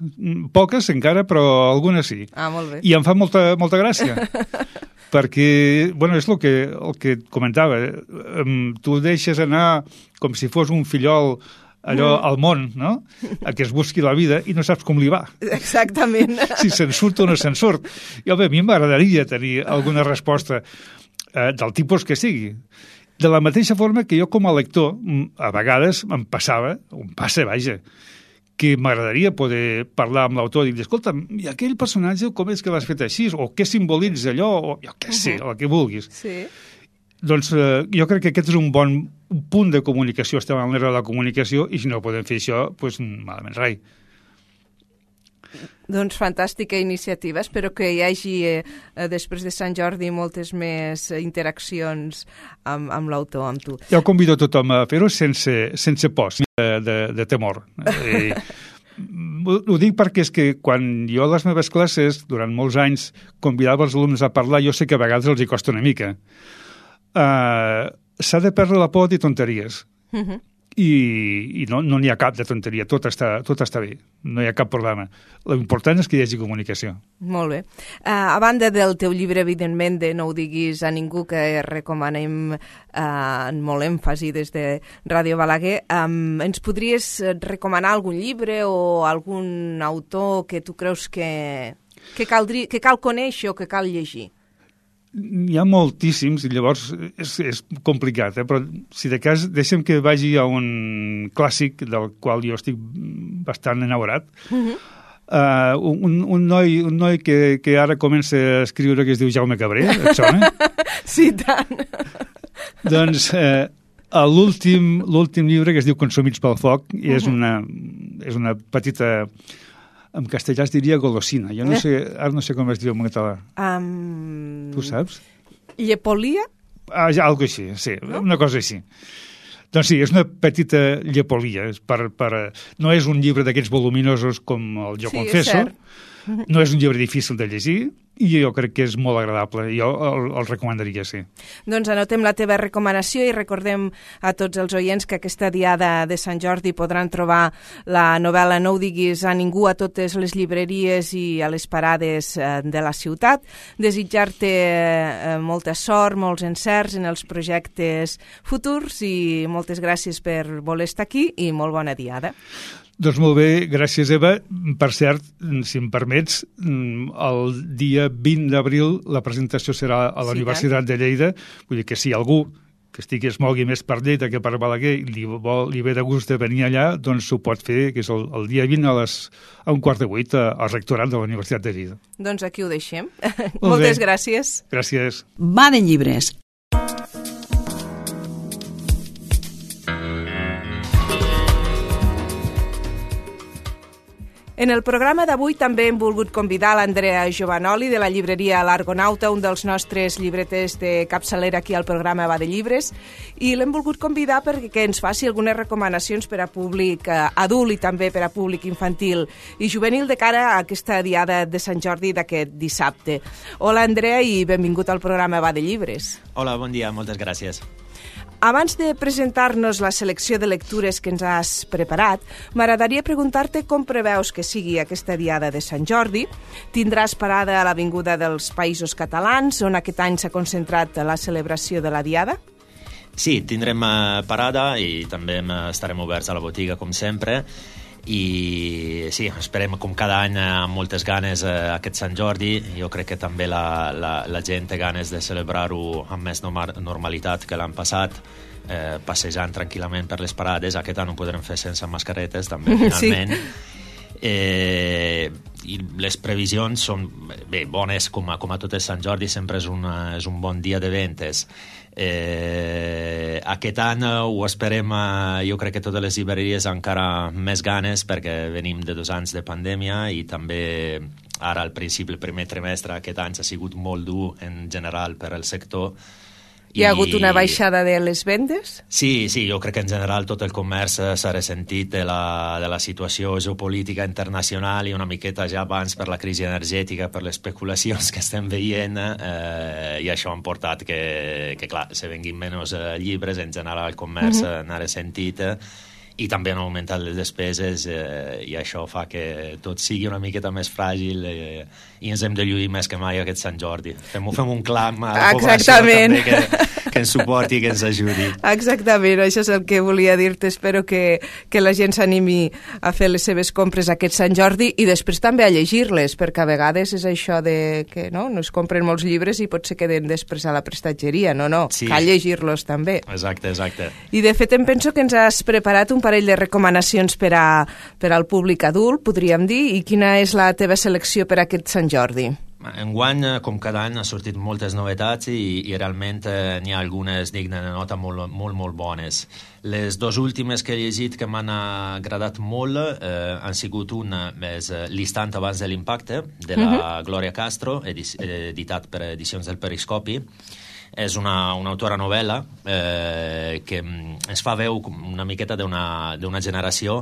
Poques encara, però algunes sí.
Ah, molt bé.
I em fa molta, molta gràcia. Perquè, bueno, és el que, el que comentava. Tu deixes anar com si fos un fillol allò mm. al món, no? A que es busqui la vida i no saps com li va.
Exactament.
Si se'n surt o no se'n surt. I, home, a mi m'agradaria tenir alguna resposta eh, del tipus que sigui. De la mateixa forma que jo com a lector, a vegades em passava, o em passa, vaja, que m'agradaria poder parlar amb l'autor i dir, escolta, i aquell personatge com és que l'has fet així? O què simbolitza allò? O jo què sé, el que vulguis.
Sí.
Doncs eh, jo crec que aquest és un bon punt de comunicació, estem en l'era de la comunicació, i si no podem fer això, doncs malament rai.
Doncs fantàstica iniciativa. Espero que hi hagi, eh, després de Sant Jordi, moltes més interaccions amb, amb l'autor, amb tu.
Jo convido tothom a fer-ho sense, sense por, de, de, de temor. I, ho, ho dic perquè és que quan jo a les meves classes, durant molts anys, convidava els alumnes a parlar, jo sé que a vegades els hi costa una mica. Uh, s'ha de perdre la por de tonteries. Uh-huh. I, i no n'hi no ha cap de tonteria, tot està, tot està bé, no hi ha cap problema. L'important és que hi hagi comunicació.
Molt bé. Uh, a banda del teu llibre, evidentment, de No ho diguis a ningú, que recomanem uh, en molt èmfasi des de Ràdio Balaguer, um, ens podries recomanar algun llibre o algun autor que tu creus que, que, caldria, que cal conèixer o que cal llegir?
Hi ha moltíssims, i llavors és, és complicat, eh? Però si de cas deixem que vagi a un clàssic del qual jo estic bastant enamorat. Uh-huh. uh, un, un, noi, un noi que, que ara comença a escriure que es diu Jaume Cabré, et sona?
Sí, tant.
Doncs eh, l'últim l'últim llibre, que es diu Consumits pel foc, i és una, és una petita en castellà es diria golosina. Jo no sé, ara no sé com es diu en català.
Um...
Tu saps?
Llepolia?
Ah, ja, algo així, sí, no? Una cosa així. Doncs sí, és una petita llepolia. És per, per, no és un llibre d'aquests voluminosos com el Jo
sí,
confesso. No és un llibre difícil de llegir i jo crec que és molt agradable. Jo el, el recomanaria, sí.
Doncs anotem la teva recomanació i recordem a tots els oients que aquesta diada de Sant Jordi podran trobar la novel·la No ho diguis a ningú a totes les llibreries i a les parades de la ciutat. Desitjar-te molta sort, molts encerts en els projectes futurs i moltes gràcies per voler estar aquí i molt bona diada.
Doncs molt bé, gràcies, Eva. Per cert, si em permets, el dia vint d'abril la presentació serà a la sí, Universitat de Lleida. Vull dir que si algú que estigui es mogui més per Lleida que per Balaguer li, vol, li ve de gust de venir allà, doncs ho pot fer, que és el, el dia vint a, les, a un quart de vuit al rectorat de la Universitat de Lleida.
Doncs aquí ho deixem. Moltes bé. Gràcies.
Gràcies.
Va de llibres.
En el programa d'avui també hem volgut convidar l'Andrea Giovanoli de la llibreria L'Argonauta, un dels nostres llibreters de capçalera aquí al programa Va de Llibres, i l'hem volgut convidar perquè ens faci algunes recomanacions per a públic eh, adult i també per a públic infantil i juvenil de cara a aquesta diada de Sant Jordi d'aquest dissabte. Hola, Andrea, i benvingut al programa Va de Llibres.
Hola, bon dia, moltes gràcies.
Abans de presentar-nos la selecció de lectures que ens has preparat, m'agradaria preguntar-te com preveus que sigui aquesta diada de Sant Jordi. Tindràs parada a l'Avinguda dels Països Catalans, on aquest any s'ha concentrat la celebració de la diada?
Sí, tindrem parada i també estarem oberts a la botiga, com sempre. I sí, esperem com cada any amb moltes ganes eh, aquest Sant Jordi. Jo crec que també la, la, la gent té ganes de celebrar-ho amb més normalitat que l'any passat, eh, passejant tranquil·lament per les parades. Aquest any ho podrem fer sense mascaretes també, finalment. Sí. Eh, i les previsions són bé, bones, com a, com a tot el Sant Jordi sempre és, una, és un bon dia de ventes. Eh, aquest any ho esperem, eh, jo crec que totes les llibreries encara més ganes perquè venim de dos anys de pandèmia i també ara al principi, el primer trimestre aquest any ha sigut molt dur en general per al sector.
Hi ha hagut una baixada de les vendes?
Sí, sí, jo crec que en general tot el comerç s'ha ressentit de la, de la situació geopolítica internacional i una miqueta ja abans per la crisi energètica, per les especulacions que estem veient, eh, i això ha portat que, que clar, se venguin menys eh, llibres, en general el comerç uh-huh. n'ha ressentit, eh, i també han augmentat les despeses eh, i això fa que tot sigui una miqueta més fràgil eh, i ens hem de lluir més que mai aquest Sant Jordi. Fem, fem un clam a la població també que, que ens suporti i que ens ajudi.
Exactament, això és el que volia dir-te. Espero que, que la gent s'animi a fer les seves compres aquest Sant Jordi i després també a llegir-les, perquè a vegades és això de que no, no es compren molts llibres i potser queden després a la prestatgeria. No, no, sí. Cal llegir-los també.
Exacte, exacte.
I de fet em penso que ens has preparat un parell de recomanacions per, a, per al públic adult, podríem dir, i quina és la teva selecció per a aquest Sant Jordi?
Enguany, com cada any, ha sortit moltes novetats i, i realment eh, n'hi ha algunes dignes de nota molt, molt, molt bones. Les dues últimes que he llegit que m'han agradat molt eh, han sigut una, és L'Istant abans de l'impacte, de la uh-huh. Glòria Castro, edic- editat per Edicions del Periscopi. És una, una autora novel·la eh, que ens fa veu una miqueta d'una, d'una generació,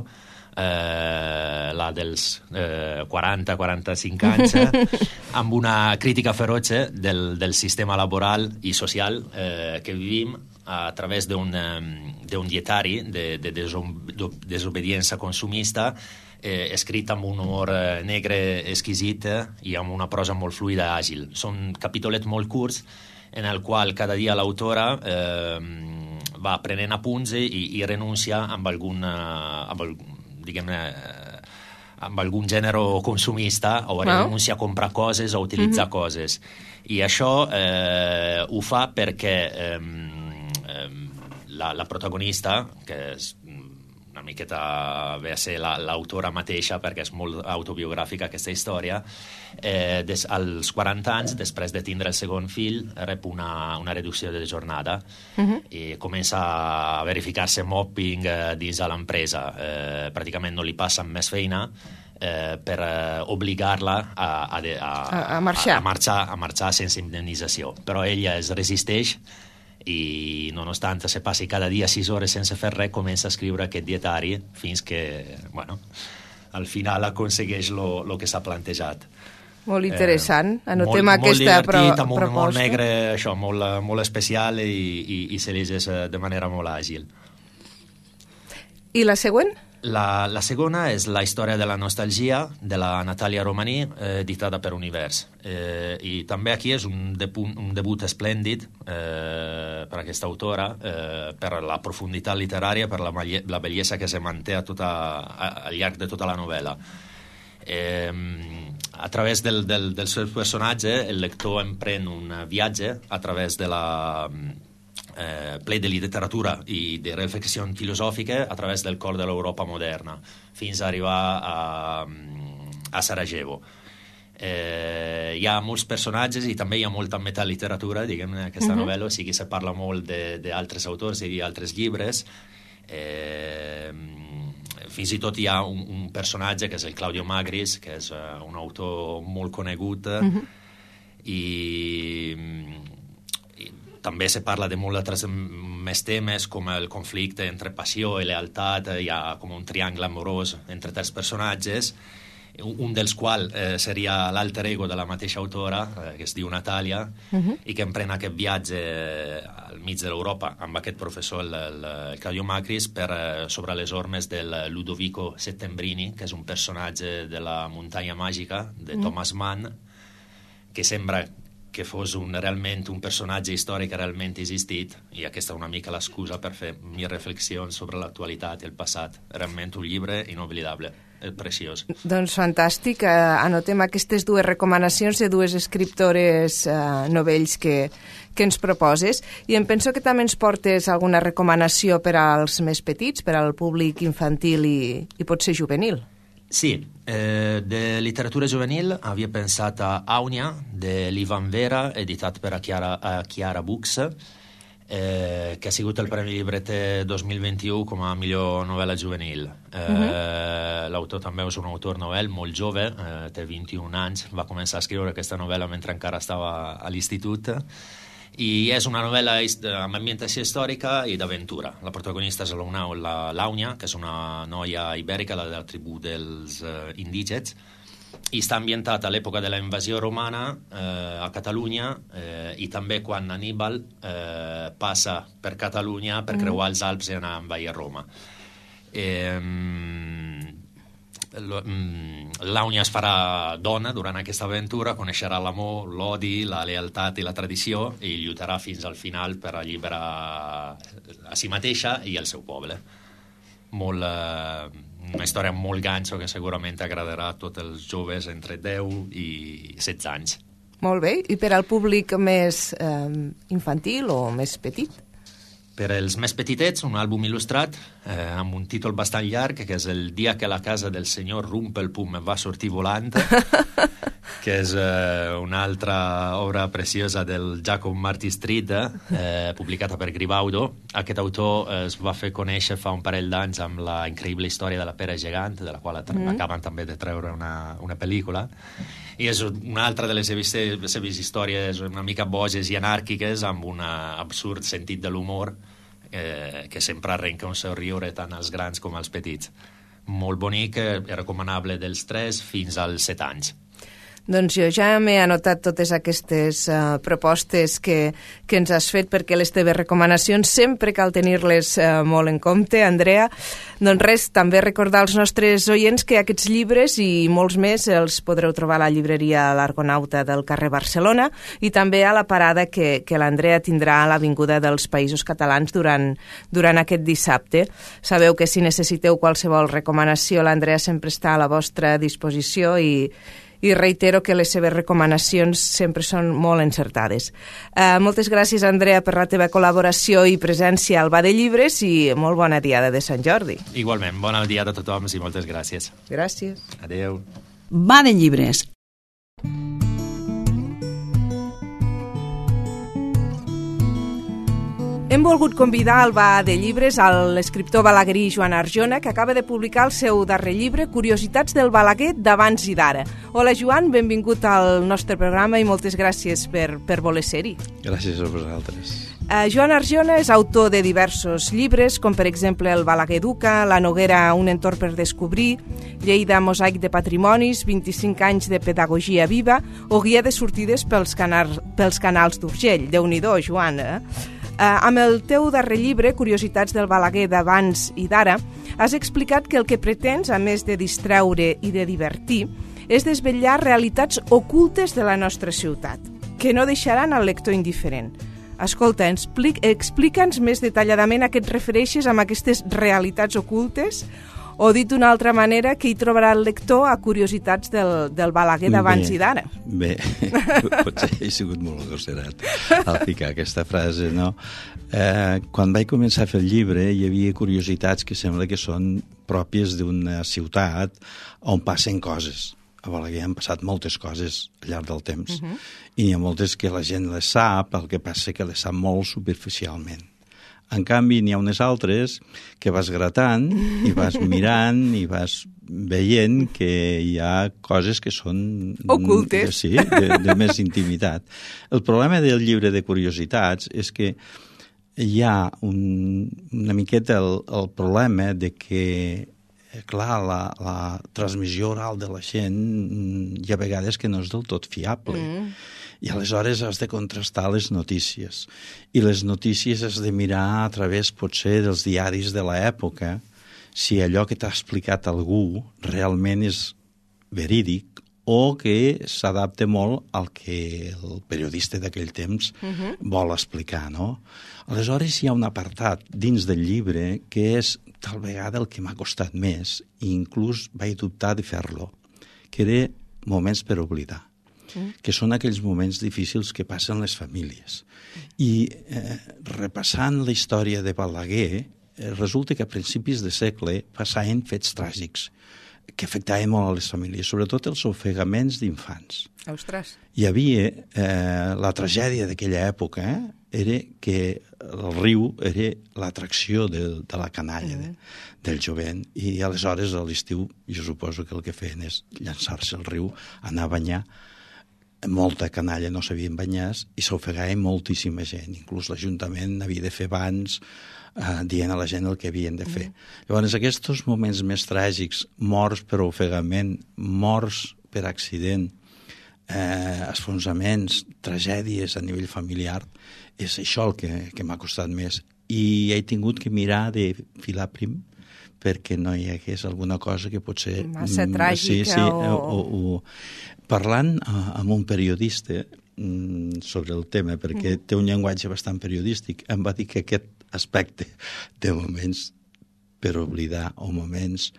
eh, la dels eh, quaranta quaranta-cinc anys, eh, amb una crítica feroce del, del sistema laboral i social eh, que vivim a través d'un, d'un dietari de, de desobediència consumista, eh, escrit amb un humor negre exquisit eh, i amb una prosa molt fluida i àgil. Són capítolets molt curts en el qual cada dia l'autora eh, va prenent apunts i, i renuncia amb algun, amb, diguem-ne, amb algun gènere consumista o renuncia a comprar coses o utilitzar mm-hmm. coses. I això eh, ho fa perquè eh, eh, la, la protagonista, que és una miqueta ve a ser la, l'autora mateixa perquè és molt autobiogràfica aquesta història, eh, des, als quaranta anys, després de tindre el segon fill, rep una, una reducció de jornada uh-huh. i comença a verificar-se mobbing eh, dins de l'empresa. Eh, pràcticament no li passen més feina eh, per eh, obligar-la a, a, a,
a, a marxar.
A, a, marxar, a marxar sense indemnització. Però ella es resisteix i, nonostante se passi cada dia sis hores sense fer res, comença a escriure aquest dietari fins que, bueno, al final aconsegueix el que s'ha plantejat.
Molt interessant.
Eh,
Anotem
molt,
aquesta
molt divertit,
pro
amb un
proposta.
molt negre, això, molt, molt especial i, i, i se llegeix de manera molt àgil.
I la següent?
La, la segona és La història de la nostalgia, de la Natàlia Romaní, eh, editada per Univers. Eh, I també aquí és un, depu- un debut esplèndid eh, per aquesta autora, eh, per la profunditat literària, per la, la bellesa que se manté a tota, a, al llarg de tota la novel·la. Eh, a través del, del, del seu personatge, el lector emprèn un viatge a través de la... Eh, ple de literatura i de reflexió filosòfica a través del cor de l'Europa moderna fins a arribar a, a Sarajevo. Eh, hi ha molts personatges i també hi ha molta metaliteratura, diguem, en aquesta uh-huh. novel·la, o sigui, se parla molt d'altres autors i d'altres llibres. Eh, fins i tot hi ha un, un personatge que és el Claudio Magris, que és uh, un autor molt conegut uh-huh. i també se parla de molt altres més temes, com el conflicte entre passió i lealtat. Hi ha com un triangle amorós entre tres personatges, un dels quals eh, seria l'alter ego de la mateixa autora, eh, que es diu Natàlia, uh-huh. i que emprèn aquest viatge al mig de l'Europa amb aquest professor, el, el, el Claudio Macris, per, eh, sobre les ormes del Ludovico Settembrini, que és un personatge de la muntanya màgica de uh-huh. Thomas Mann, que sembra que fos un, realment un personatge històric que realment ha existit, i aquesta és una mica l'excusa per fer mi reflexions sobre l'actualitat i el passat. Realment un llibre inoblidable, preciós.
Doncs fantàstic. Anotem aquestes dues recomanacions de dues escriptores eh, novells que, que ens proposes, i em penso que també ens portes alguna recomanació per als més petits, per al públic infantil i, i potser juvenil.
Sí, eh, de literatura juvenil havia pensat a Àunia, de l'Ivan Vera, editat per a Chiara, a Chiara Books, eh, que ha sigut el Premi Llibreter dos mil vint-i-u com a millor novel·la juvenil. Eh, uh-huh. L'autor també és un autor novel molt jove, eh, té vint-i-un anys, va començar a escriure aquesta novel·la mentre encara estava a l'institut, i és una novel·la amb ambientació històrica i d'aventura. La protagonista és l'Àunia, que és una noia ibèrica de la tribu dels uh, indígens, i està ambientat a l'època de la invasió romana eh, a Catalunya, eh, i també quan Aníbal eh, passa per Catalunya per creuar els Alps i anar a envair Roma. Eh, L'Àunia es farà dona durant aquesta aventura, coneixerà l'amor, l'odi, la lealtat i la tradició, i lluitarà fins al final per alliberar a si mateixa i el seu poble. Molt, eh, una història molt ganxo que segurament agradarà a tots els joves entre deu i setze anys.
Molt bé. I per al públic més eh, infantil o més petit?
Per als més petitets, un àlbum il·lustrat eh, amb un títol bastant llarg, que és El dia que la casa del senyor Rumpelpum va sortir volant, que és eh, una altra obra preciosa del Jacob Marty Street, eh, publicada per Gribaudo. Aquest autor eh, es va fer conèixer fa un parell d'anys amb la increïble història de la pera gegant, de la qual mm. acaben també de treure una, una pel·lícula. I és una altra de les seves, les seves històries una mica boges i anàrquiques, amb un absurd sentit de l'humor eh, que sempre arrenca un somriure tant als grans com als petits. Molt bonic, eh, recomanable dels tres fins als set anys.
Doncs jo ja m'he anotat totes aquestes uh, propostes que, que ens has fet, perquè les teves recomanacions sempre cal tenir-les uh, molt en compte, Andrea. Doncs res, també recordar als nostres oients que aquests llibres i molts més els podreu trobar a la llibreria L'Argonauta del carrer Barcelona, i també a la parada que, que l'Andrea tindrà a l'Avinguda dels Països Catalans durant, durant aquest dissabte. Sabeu que si necessiteu qualsevol recomanació, l'Andrea sempre està a la vostra disposició, i i reitero que les seves recomanacions sempre són molt encertades. Uh, moltes gràcies, Andrea, per la teva col·laboració i presència al Ba de Llibres, i molt bona diada de Sant Jordi.
Igualment, bona diada a tothom i moltes gràcies.
Gràcies.
Adéu.
Ba de Llibres.
Hem volgut convidar al Ba de Llibres a l'escriptor balaguerí Joan Arjona, que acaba de publicar el seu darrer llibre, Curiositats del Balaguer d'abans i d'ara. Hola, Joan, benvingut al nostre programa i moltes gràcies per, per voler ser-hi.
Gràcies a vosaltres.
Uh, Joan Arjona és autor de diversos llibres, com per exemple El Balaguer Educa, La Noguera, un entorn per descobrir, Lleida, mosaic de patrimonis, vint-i-cinc anys de pedagogia viva o guia de sortides pels, canar, pels canals d'Urgell. Déu-n'hi-do, Joan, eh? Uh, amb el teu darrer llibre, Curiositats del Balaguer d'abans i d'ara, has explicat que el que pretens, a més de distreure i de divertir, és desvetllar realitats ocultes de la nostra ciutat, que no deixaran al lector indiferent. Escolta, explica'ns més detalladament a què et refereixes amb aquestes realitats ocultes, o dit d'una altra manera, que hi trobarà el lector a Curiositats del, del Balaguer d'abans i d'ara.
Bé, potser he sigut molt agosserat al ficar aquesta frase, no? Eh, quan vaig començar a fer el llibre hi havia curiositats que sembla que són pròpies d'una ciutat on passen coses. A Balaguer han passat moltes coses al llarg del temps, uh-huh. i n'hi ha moltes que la gent les sap, el que passa que les sap molt superficialment. En canvi, n'hi ha unes altres que vas gratant i vas mirant i vas veient que hi ha coses que són...
ocultes.
Sí, de, de més intimitat. El problema del llibre de curiositats és que hi ha un, una miqueta el, el problema de que, clar, la, la transmissió oral de la gent hi ha vegades que no és del tot fiable. Mm. I aleshores has de contrastar les notícies. I les notícies has de mirar a través, potser, dels diaris de l'època, si allò que t'ha explicat algú realment és verídic o que s'adapta molt al que el periodista d'aquell temps uh-huh. vol explicar, no? Aleshores hi ha un apartat dins del llibre que és tal vegada el que m'ha costat més i inclús vaig dubtar de fer-lo, que era moments per oblidar. Que són aquells moments difícils que passen les famílies. I eh, repassant la història de Balaguer, eh, resulta que a principis de segle passaven fets tràgics que afectaven molt a les famílies, sobretot els ofegaments d'infants.
Ostres.
Hi havia eh, la tragèdia d'aquella època, eh, era que el riu era l'atracció de, de la canalla, mm. de, del jovent, i aleshores a l'estiu jo suposo que el que feien és llançar-se al riu, anar a banyar. Molta canalla no sabien banyar i s'ofegava moltíssima gent. Inclús l'Ajuntament havia de fer bans eh, dient a la gent el que havien de fer. Mm. Llavors, aquests moments més tràgics, morts per ofegament, morts per accident, eh, esfonsaments, tragèdies a nivell familiar, és això el que, que m'ha costat més. I he tingut que mirar de filar prim perquè no hi hagués alguna cosa que potser...
massa tràgica
sí, sí,
o...
o, o... Parlant uh, amb un periodista mm, sobre el tema, perquè mm. té un llenguatge bastant periodístic, em va dir que aquest aspecte de moments per oblidar o moments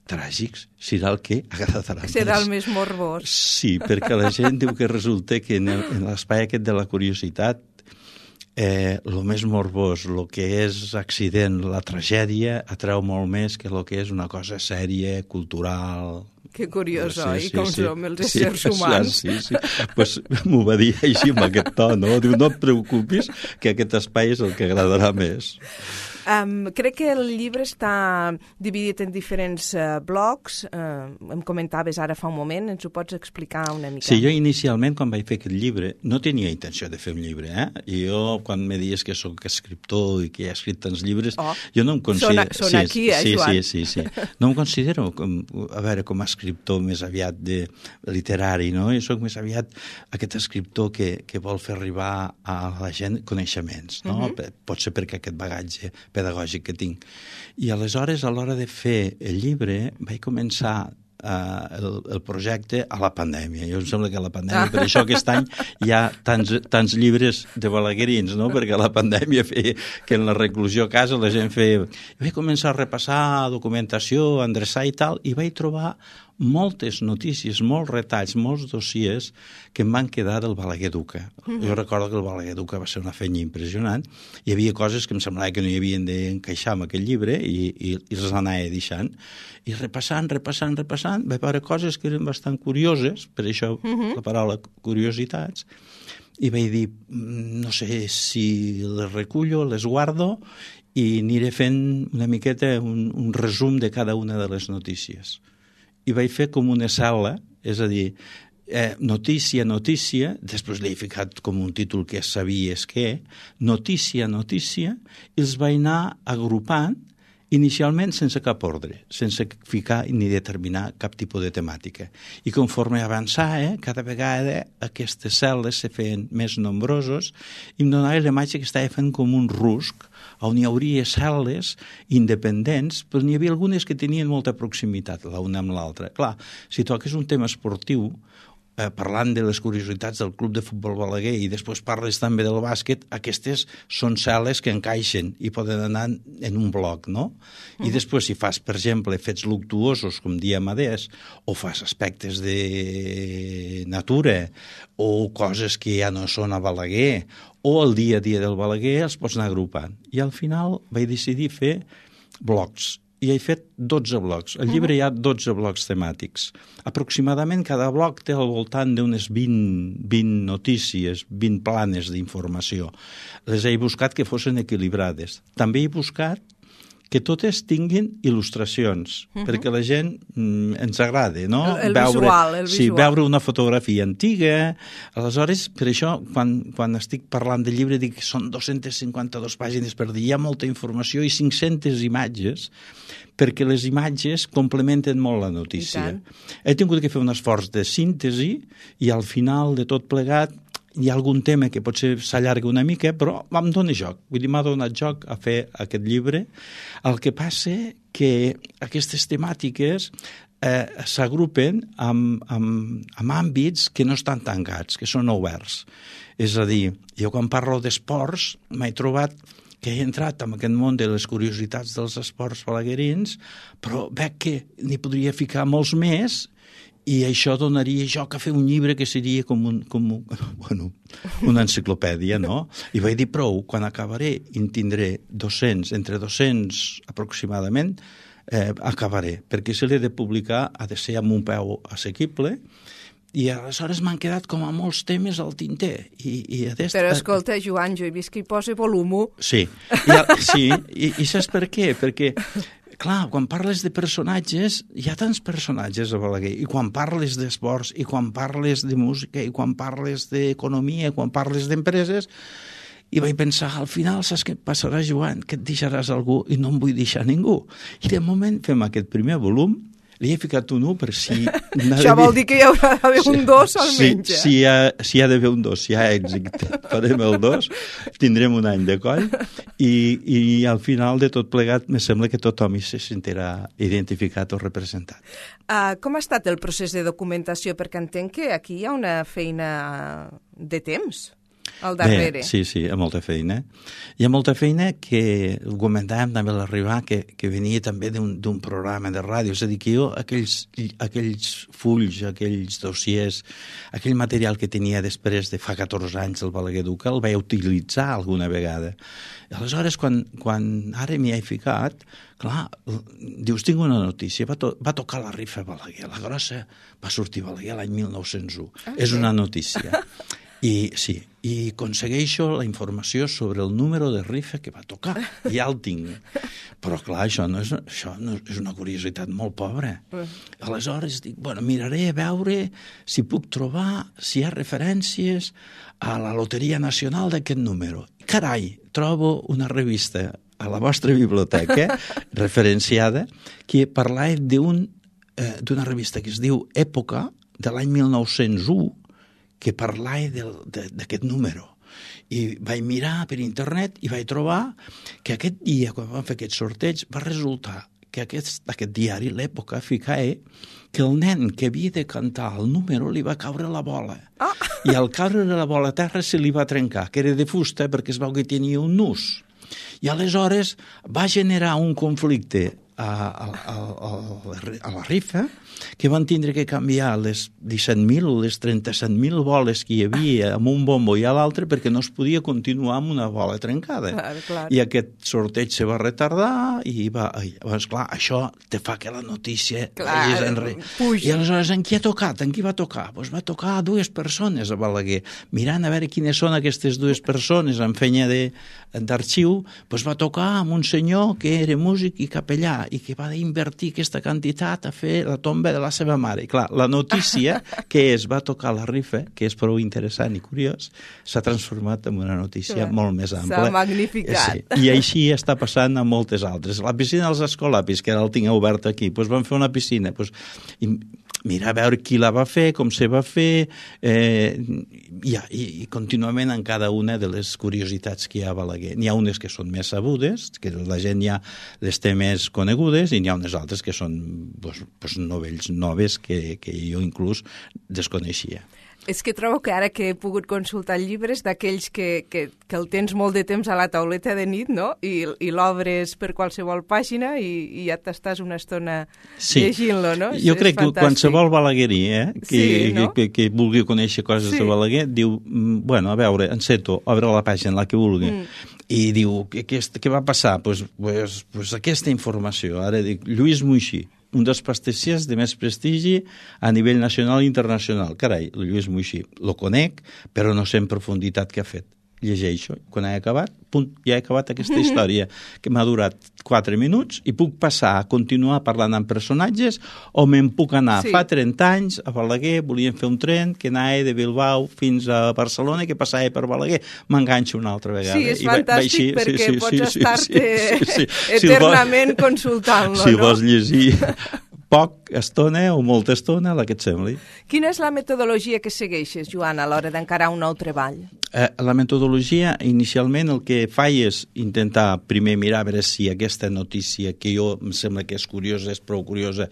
tràgics serà el que agradarà més.
Serà el més morbós.
Sí, perquè la gent diu que resulta que en, el, en l'espai aquest de la curiositat Eh, el més morbós, el que és accident, la tragèdia, atreu molt més que el que és una cosa sèria, cultural...
Que curiós,
sí,
oi?
sí,
Com
sí.
som els
sí,
éssers humans.
Sí, sí. Pues m'ho va dir així amb aquest to, no? Diu, no et preocupis, que aquest espai és el que agradarà més.
Um, crec que el llibre està dividit en diferents uh, blocs. Uh, em comentaves ara fa un moment, ens ho pots explicar una mica?
Sí, jo inicialment, quan vaig fer aquest llibre, no tenia intenció de fer un llibre, eh? I jo, quan me dius que sóc escriptor i que he escrit tants llibres, oh, jo no em considero...
Són, són
sí,
aquí, eh,
sí,
Joan?
Sí, sí, sí. No em considero, com, a veure, com a escriptor més aviat de literari, no? Jo soc més aviat aquest escriptor que, que vol fer arribar a la gent coneixements, no? Uh-huh. Pot ser perquè aquest bagatge pedagògic que tinc. I aleshores, a l'hora de fer el llibre, vaig començar uh, el, el projecte a la pandèmia. Jo em sembla que a la pandèmia, per això aquest any hi ha tants, tants llibres de balaguerins, no? Perquè la pandèmia feia que en la reclusió a casa la gent feia... I vaig començar a repassar documentació, a endreçar i tal, i vaig trobar moltes notícies, molts retalls, molts dossiers que em van quedar del Balaguer Educa. Mm-hmm. Jo recordo que el Balaguer Educa va ser una feina impressionant. Hi havia coses que em semblava que no hi havien d'encaixar en aquell llibre i, i, i les anava deixant. I repassant, repassant, repassant, vaig veure coses que eren bastant curioses, per això mm-hmm. la paraula curiositats, i vaig dir, no sé si les recullo, les guardo i aniré fent una miqueta un, un resum de cada una de les notícies. I vaig fer com una sala, és a dir, eh, notícia, notícia, després l'he ficat com un títol que sabies què, notícia, notícia, i els vaig anar agrupant inicialment sense cap ordre, sense ficar ni determinar cap tipus de temàtica. I conforme avançava, eh, cada vegada aquestes cel·les se feien més nombrosos i em donava la imatge que estava fent com un rusc on hi hauria cel·les independents, però n'hi havia algunes que tenien molta proximitat l'una amb l'altra. Clar, si toques un tema esportiu, Eh, parlant de les curiositats del Club de Futbol Balaguer i després parles també del bàsquet, aquestes són cel·les que encaixen i poden anar en un bloc, no? I després, si fas, per exemple, fets luctuosos, com diem adés, o fas aspectes de natura, o coses que ja no són a Balaguer, o el dia a dia del Balaguer, els pots anar agrupant. I al final vaig decidir fer blocs, i he fet dotze blocs. Al llibre hi ha dotze blocs temàtics. Aproximadament cada bloc té al voltant d'unes vint, vint notícies, vint planes d'informació. Les he buscat que fossin equilibrades. També he buscat que totes tinguin il·lustracions, uh-huh. perquè la gent mm, ens agrada, no?
El, el
veure,
visual, el
sí,
visual.
Veure una fotografia antiga. Aleshores, per això, quan, quan estic parlant del llibre, dic que són dos-centes cinquanta-dues pàgines per dir, hi ha molta informació i cinc-centes imatges, perquè les imatges complementen molt la notícia. He tingut que fer un esforç de síntesi i al final de tot plegat hi ha algun tema que potser s'allarga una mica, però em dóna joc. Vull dir, m'ha donat joc a fer aquest llibre. El que passa que aquestes temàtiques eh, s'agrupen amb, amb, amb àmbits que no estan tancats, que són oberts. És a dir, jo quan parlo d'esports m'he trobat que he entrat en aquest món de les curiositats dels esports balaguerins, però veig que n'hi podria ficar molts més i això donaria joc a fer un llibre que seria com, un, com un, bueno, una enciclopèdia, no? I vaig dir prou, quan acabaré i en tindré dos-cents, entre dos-cents aproximadament, eh, acabaré, perquè si l'he de publicar ha de ser amb un peu assequible. I aleshores m'han quedat com a molts temes al tinter. I, i adest...
Però escolta, Joan, jo he vist que hi posa volum.
Sí, i, sí, i, i saps per què? Perquè, clar, quan parles de personatges, hi ha tants personatges a Balaguer, i quan parles d'esports, i quan parles de música, i quan parles d'economia, quan parles d'empreses, i vaig pensar, al final, saps què passarà, Joan? Que et deixaràs algú i no em vull deixar ningú. I de moment fem aquest primer volum. Li he ficat un u per si...
Això vol dir que hi haurà d'haver un dos almenys.
Sí, si hi ha, si hi ha d'haver un dos, si hi ha èxit, farem el dos, tindrem un any de coll i, i al final de tot plegat me sembla que tothom hi se sentirà identificat o representat.
Uh, com ha estat el procés de documentació? Perquè entenc que aquí hi ha una feina de temps al darrere.
Bé, sí, sí, hi ha molta feina. Hi ha molta feina que ho comentàvem també a l'arribar, que, que venia també d'un programa de ràdio. És a dir, que jo aquells, aquells fulls, aquells dossiers, aquell material que tenia després de fa catorze anys del Balaguer Duca, el vaig utilitzar alguna vegada. I aleshores, quan, quan ara m'hi he ficat, clar, dius, tinc una notícia, va, to va tocar la rifa a Balaguer, la grossa va sortir a Balaguer l'any mil nou-cents u. Okay. És una notícia. I sí, i aconsegueixo la informació sobre el número de rifa que va tocar. Ja el tinc. Però, clar, això, no és, això no és una curiositat molt pobra. Aleshores dic, bueno, miraré a veure si puc trobar, si hi ha referències a la Loteria Nacional d'aquest número. Carai, trobo una revista a la vostra biblioteca, referenciada, que parlava d'un, eh, d'una revista que es diu Època, de l'any mil nou-cents u, que parlava d'aquest número. I vaig mirar per internet i vaig trobar que aquest dia, quan vam fer aquest sorteig, va resultar que aquest, aquest diari, l'Època, ficava que el nen que havia de cantar el número li va caure la bola. Ah. I al caure la bola a terra se li va trencar, que era de fusta perquè es veu que tenia un nus. I aleshores va generar un conflicte a, a, a, a la rifa, que van tindre que canviar les disset mil o les trenta-set mil boles que hi havia amb un bombo i a l'altre perquè no es podia continuar amb una bola trencada.
Clar, clar.
I aquest sorteig se va retardar i va... I, doncs, clar, això te fa que la notícia
clar,
enre...
puja.
I aleshores, en qui ha tocat? En qui va tocar? Doncs va tocar a dues persones a Balaguer. Mirant a veure quines són aquestes dues persones en fenya d'arxiu, doncs va tocar amb un senyor que era músic i capellà i que va invertir aquesta quantitat a fer la tomba de la seva mare. I clar, la notícia que és, va tocar la rifa, que és prou interessant i curiós, s'ha transformat en una notícia clar, molt més ampla.
S'ha magnificat.
Sí. I així està passant a moltes altres. La piscina dels Escolapis, que ara el tinc obert aquí, doncs van fer una piscina. Doncs, i mira a veure qui la va fer, com se va fer, eh, i, i, i contínuament en cada una de les curiositats que hi ha a Balaguer. N'hi ha unes que són més sabudes, que la gent ja les té més conegudes, i n'hi ha unes altres que són pues, pues, novells noves que, que jo inclús desconeixia.
És que trobo que ara que he pogut consultar llibres d'aquells que, que, que el tens molt de temps a la tauleta de nit, no? I, i l'obres per qualsevol pàgina i, i ja t'estàs una estona sí. llegint-lo, no?
Jo és crec fantàstic. Que qualsevol balaguerí eh, que,
sí, no?
que, que, que vulgui conèixer coses sí. de Balaguer, diu, bueno, a veure, enceto, obre la pàgina, la que vulgui, mm. i diu, què, què va passar? Pues, pues, pues aquesta informació, ara dic, Lluís Moixí, un dels pastissiers de més prestigi a nivell nacional i internacional. Carai, el Lluís Moixí, lo conec, però no sé en profunditat què ha fet. Llegeixo, quan he acabat, punt, ja he acabat aquesta història, que m'ha durat quatre minuts, i puc passar a continuar parlant amb personatges, o me'n puc anar sí. fa trenta anys a Balaguer, volíem fer un tren que anava de Bilbao fins a Barcelona, que passava per Balaguer, m'enganxo una altra vegada.
Sí, és I fantàstic va, va així, perquè sí, sí, pots sí, estar-te sí, sí, sí. eternament si consultant-lo,
si
no? Si
vols llegir poc estona o molta estona, la que et sembli.
Quina és la metodologia que segueixes, Joan, a l'hora d'encarar un nou treball?
Eh, la metodologia, inicialment, el que faig és intentar primer mirar a veure si aquesta notícia, que jo em sembla que és curiosa, és prou curiosa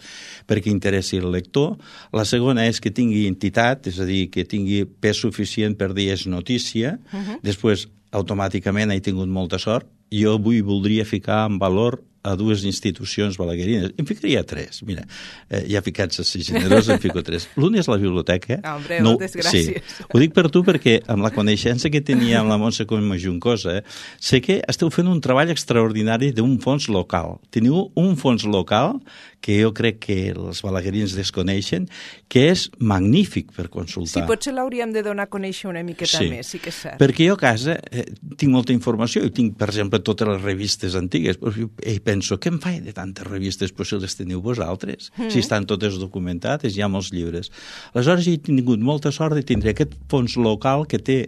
perquè interessi el lector. La segona és que tingui entitat, és a dir, que tingui pes suficient per dir és notícia. Uh-huh. Després, automàticament, he tingut molta sort. Jo avui voldria ficar en valor a dues institucions balaguerines. Em ficaria tres, mira. Eh, ja ficats a ser generós, em fico tres. L'una és la biblioteca.
Hombre, no, moltes gràcies.
Sí. Ho dic per tu perquè amb la coneixença que tenia amb la Montse Comma Juncosa, eh, sé que esteu fent un treball extraordinari d'un fons local. Teniu un fons local que jo crec que els balaguerins desconeixen, que és magnífic per consultar.
Sí, potser l'hauríem de donar a conèixer una miqueta
sí.
més, sí que és cert.
Perquè jo a casa eh, tinc molta informació, i tinc, per exemple, totes les revistes antigues, i penso, què em faig de tantes revistes? Però si les teniu vosaltres, mm. si estan totes documentades, hi ha molts llibres. Aleshores, he tingut molta sort de tindre aquest fons local que té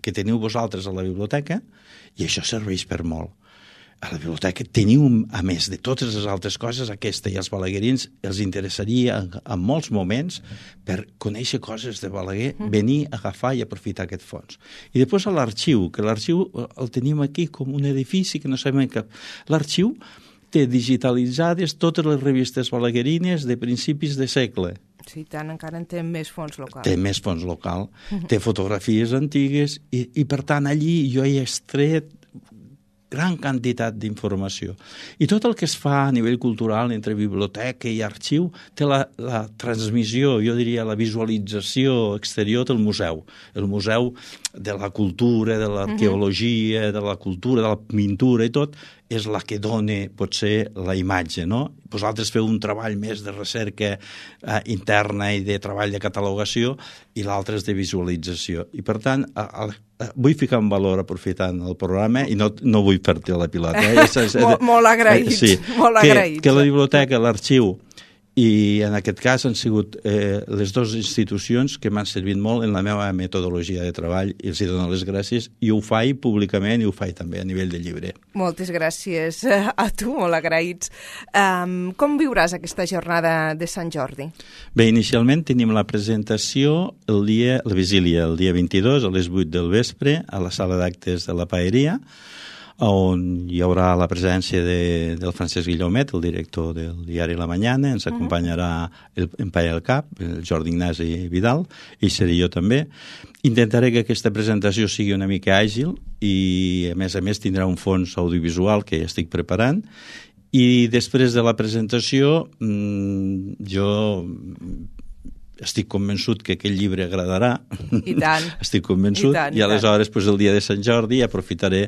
que teniu vosaltres a la biblioteca, i això serveix per molt. A la biblioteca teniu, a més de totes les altres coses, aquesta, i els balaguerins els interessaria en, en molts moments per conèixer coses de Balaguer, venir, agafar i aprofitar aquest fons. I després a l'arxiu, que l'arxiu el tenim aquí com un edifici que no sabem cap. L'arxiu té digitalitzades totes les revistes balaguerines de principis de segle.
Sí, tant, encara en té més fons local.
Té més fons local, té fotografies antigues, i, i per tant allí jo he extret gran quantitat d'informació. I tot el que es fa a nivell cultural entre biblioteca i arxiu té la, la transmissió, jo diria la visualització exterior del museu. El museu de la cultura, de l'arqueologia, de la cultura, de la pintura i tot, és la que dona, potser, la imatge, no? Vosaltres feu un treball més de recerca eh, interna i de treball de catalogació, i l'altre és de visualització. I, per tant, a, a, a, vull ficar en valor aprofitant el programa, i no, no vull fer-te la pilota. Eh? És, és,
molt, molt agraïts.
Sí,
molt
que,
agraïts.
Que la biblioteca, l'arxiu, i en aquest cas han sigut eh, les dues institucions que m'han servit molt en la meva metodologia de treball, i els hi dono les gràcies, i ho faig públicament i ho faig també a nivell de llibre.
Moltes gràcies a tu, molt agraïts. Um, com viuràs aquesta jornada de Sant Jordi?
Bé, inicialment tenim la presentació el dia, la vigília, el dia vint-i-dos a les vuit del vespre a la sala d'actes de la Paeria, on hi haurà la presència de, del Francesc Guillomet, el director del diari La Mañana, ens acompanyarà el, en Paia del Cap, el Jordi Ignasi Vidal, i seré jo també. Intentaré que aquesta presentació sigui una mica àgil i, a més a més, tindrà un fons audiovisual que ja estic preparant, I després de la presentació, jo estic convençut que aquest llibre agradarà.
I tant.
Estic convençut. I, tant, i, i aleshores, doncs, el dia de Sant Jordi, aprofitaré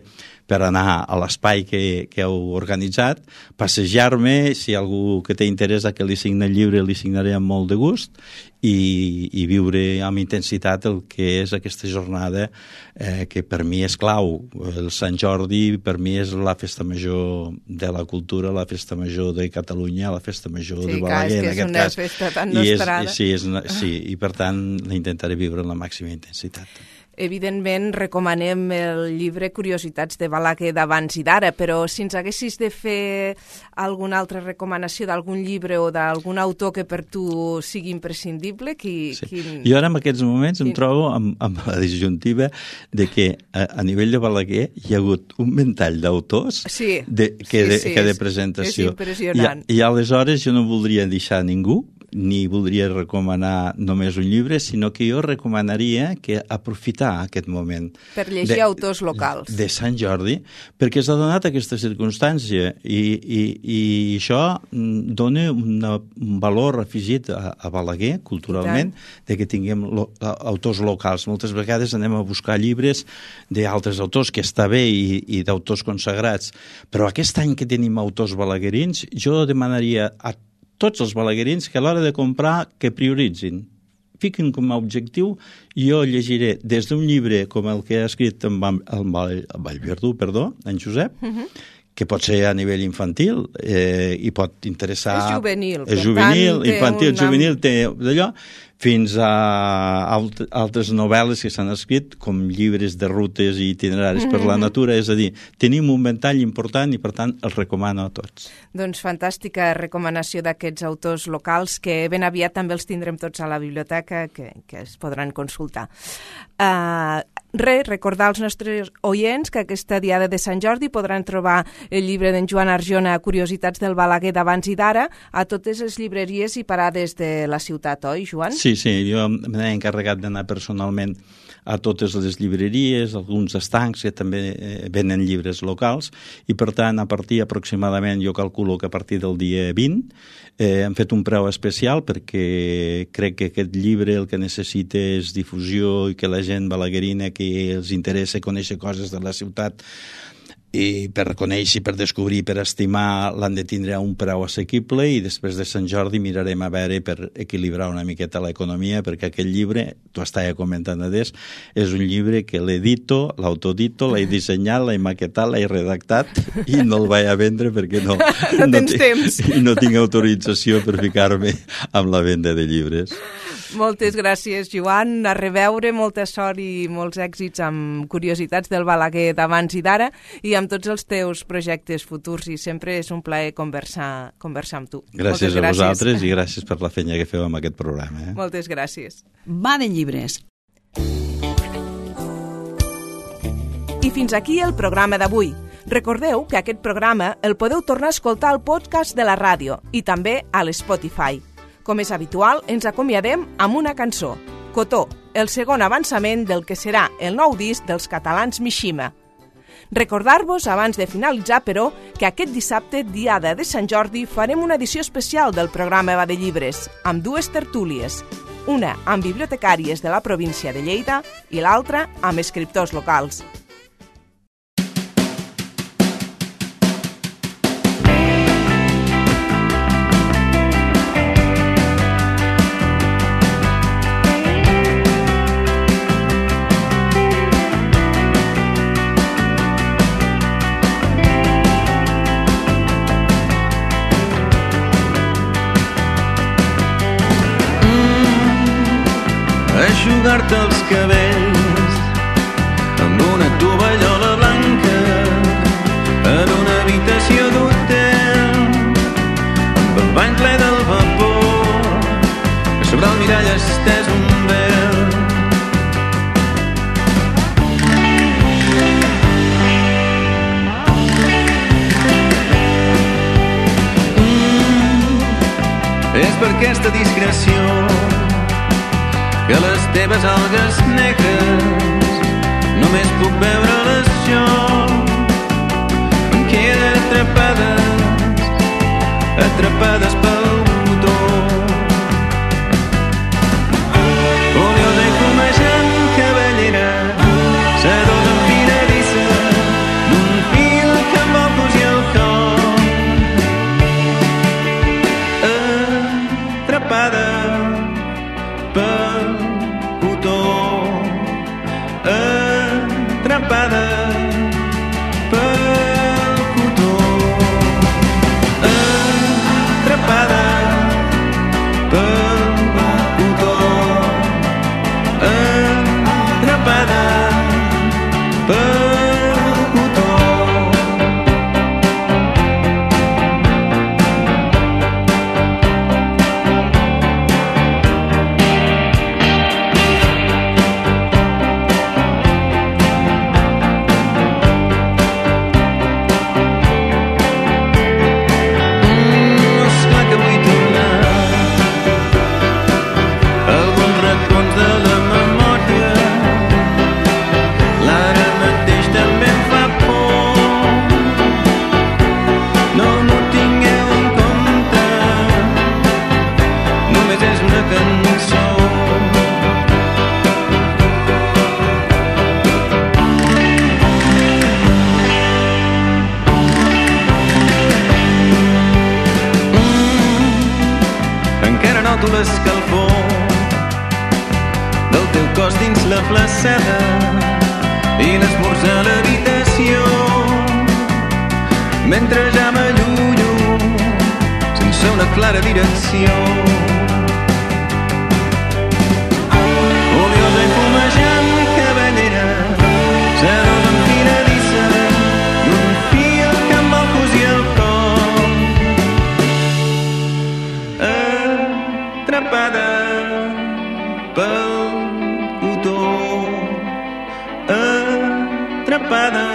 per anar a l'espai que, que heu organitzat, passejar-me, si hi ha algú que té interès a que li signi el llibre, li signaré amb molt de gust, i, i viure amb intensitat el que és aquesta jornada eh, que per mi és clau. El Sant Jordi per mi és la festa major de la cultura, la festa major de Catalunya, la festa major
sí,
de Balaguer, en aquest cas.
Sí, és una festa tan nostrada.
I és, sí, és, sí, i per tant la intentaré viure amb la màxima intensitat.
Evidentment, recomanem el llibre Curiositats de Balaguer d'abans i d'ara, però si ens haguessis de fer alguna altra recomanació d'algun llibre o d'algun autor que per tu sigui imprescindible, qui...
Sí.
Quin...
Jo ara en aquests moments quin... em trobo amb, amb la disjuntiva de que a, a nivell de Balaguer hi ha hagut un ventall d'autors
sí.
de, que,
sí,
de,
sí,
que de
és,
presentació.
És impressionant.
I, I aleshores jo no voldria deixar ningú, ni voldria recomanar només un llibre, sinó que jo recomanaria que aprofitar aquest moment
per llegir
de,
autors locals
de Sant Jordi, perquè s'ha donat aquesta circumstància i, i, i això dona una, un valor afegit a, a Balaguer, culturalment, de que tinguem lo, autors locals. Moltes vegades anem a buscar llibres d'altres autors, que està bé, i, i d'autors consagrats, però aquest any que tenim autors balaguerins, jo demanaria a tots els balaguerins que a l'hora de comprar que prioritzin. Fiquin com a objectiu, i jo llegiré des d'un llibre com el que ha escrit en Vallverdú, perdó, en Josep, uh-huh. que pot ser a nivell infantil eh, i pot interessar...
És juvenil.
És juvenil, infantil, una... juvenil, té d'allò, fins a alt, altres novel·les que s'han escrit, com llibres de rutes i itineraris mm-hmm. per la natura, és a dir, tenim un ventall important i, per tant, els recomano a tots.
Doncs fantàstica recomanació d'aquests autors locals, que ben aviat també els tindrem tots a la biblioteca, que, que es podran consultar. Uh, res, recordar als nostres oients que aquesta diada de Sant Jordi podran trobar el llibre d'en Joan Arjona, Curiositats del Balaguer d'abans i d'ara, a totes les llibreries i parades de la ciutat, oi, Joan?
Sí, sí, jo m'he encarregat d'anar personalment a totes les llibreries, alguns estancs que també eh, venen llibres locals, i per tant, a partir aproximadament, jo calculo que a partir del dia vint, eh, hem fet un preu especial perquè crec que aquest llibre el que necessita és difusió i que la gent balaguerina que els interessa conèixer coses de la ciutat i per conèixer, per descobrir, per estimar, l'han de tindre a un preu assequible, i després de Sant Jordi mirarem a veure per equilibrar una miqueta l'economia, perquè aquest llibre, t'ho estava comentant adés, és un llibre que l'edito, l'autodito, l'he dissenyat, l'he maquetat, l'he redactat i no el vaig a vendre perquè no,
no, tens no, temps.
I no tinc autorització per ficar-me amb la venda de llibres.
Moltes gràcies, Joan. A reveure, molta sort i molts èxits amb Curiositats del Balaguer d'abans i d'ara i amb tots els teus projectes futurs, i sempre és un plaer conversar, conversar amb tu.
Gràcies, gràcies a vosaltres i gràcies per la feina que feu amb aquest programa. Eh?
Moltes gràcies.
Va de llibres.
I fins aquí el programa d'avui. Recordeu que aquest programa el podeu tornar a escoltar al podcast de la ràdio i també a l'Spotify. Com és habitual, ens acomiadem amb una cançó, Cotó, el segon avançament del que serà el nou disc dels catalans Mishima. Recordar-vos, abans de finalitzar, però, que aquest dissabte, diada de Sant Jordi, farem una edició especial del programa Va de Llibres, amb dues tertúlies, una amb bibliotecàries de la província de Lleida i l'altra amb escriptors locals.
Eixugar-te els cabells amb una tovallola blanca en una habitació d'hotel amb el bany ple del vapor que sobre el mirall estès un vel. Mm, és per aquesta discreció que les teves algues negres només puc veure-les jo. Em queden atrapades atrapades pel cotó. Oliosa i fumejant cabellera, sedosa enfiladissa, d'un fil que em vol cosir el cor. Atrapada pel cotó, atrapada pel cotó, atrapada pel cotó, atrapada pel cotó. Encara noto l'escalfor del teu cos dins la flaceda i l'esmorzar a l'habitació, mentre ja m'allunyo sense una clara direcció. Oliosa i fumejant cabellera, sedosa enfiladissa, d'un fil que em vol cosir el cor. Atrapada pel cotó, atrapada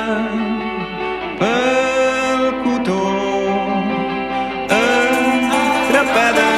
pel cotó, atrapada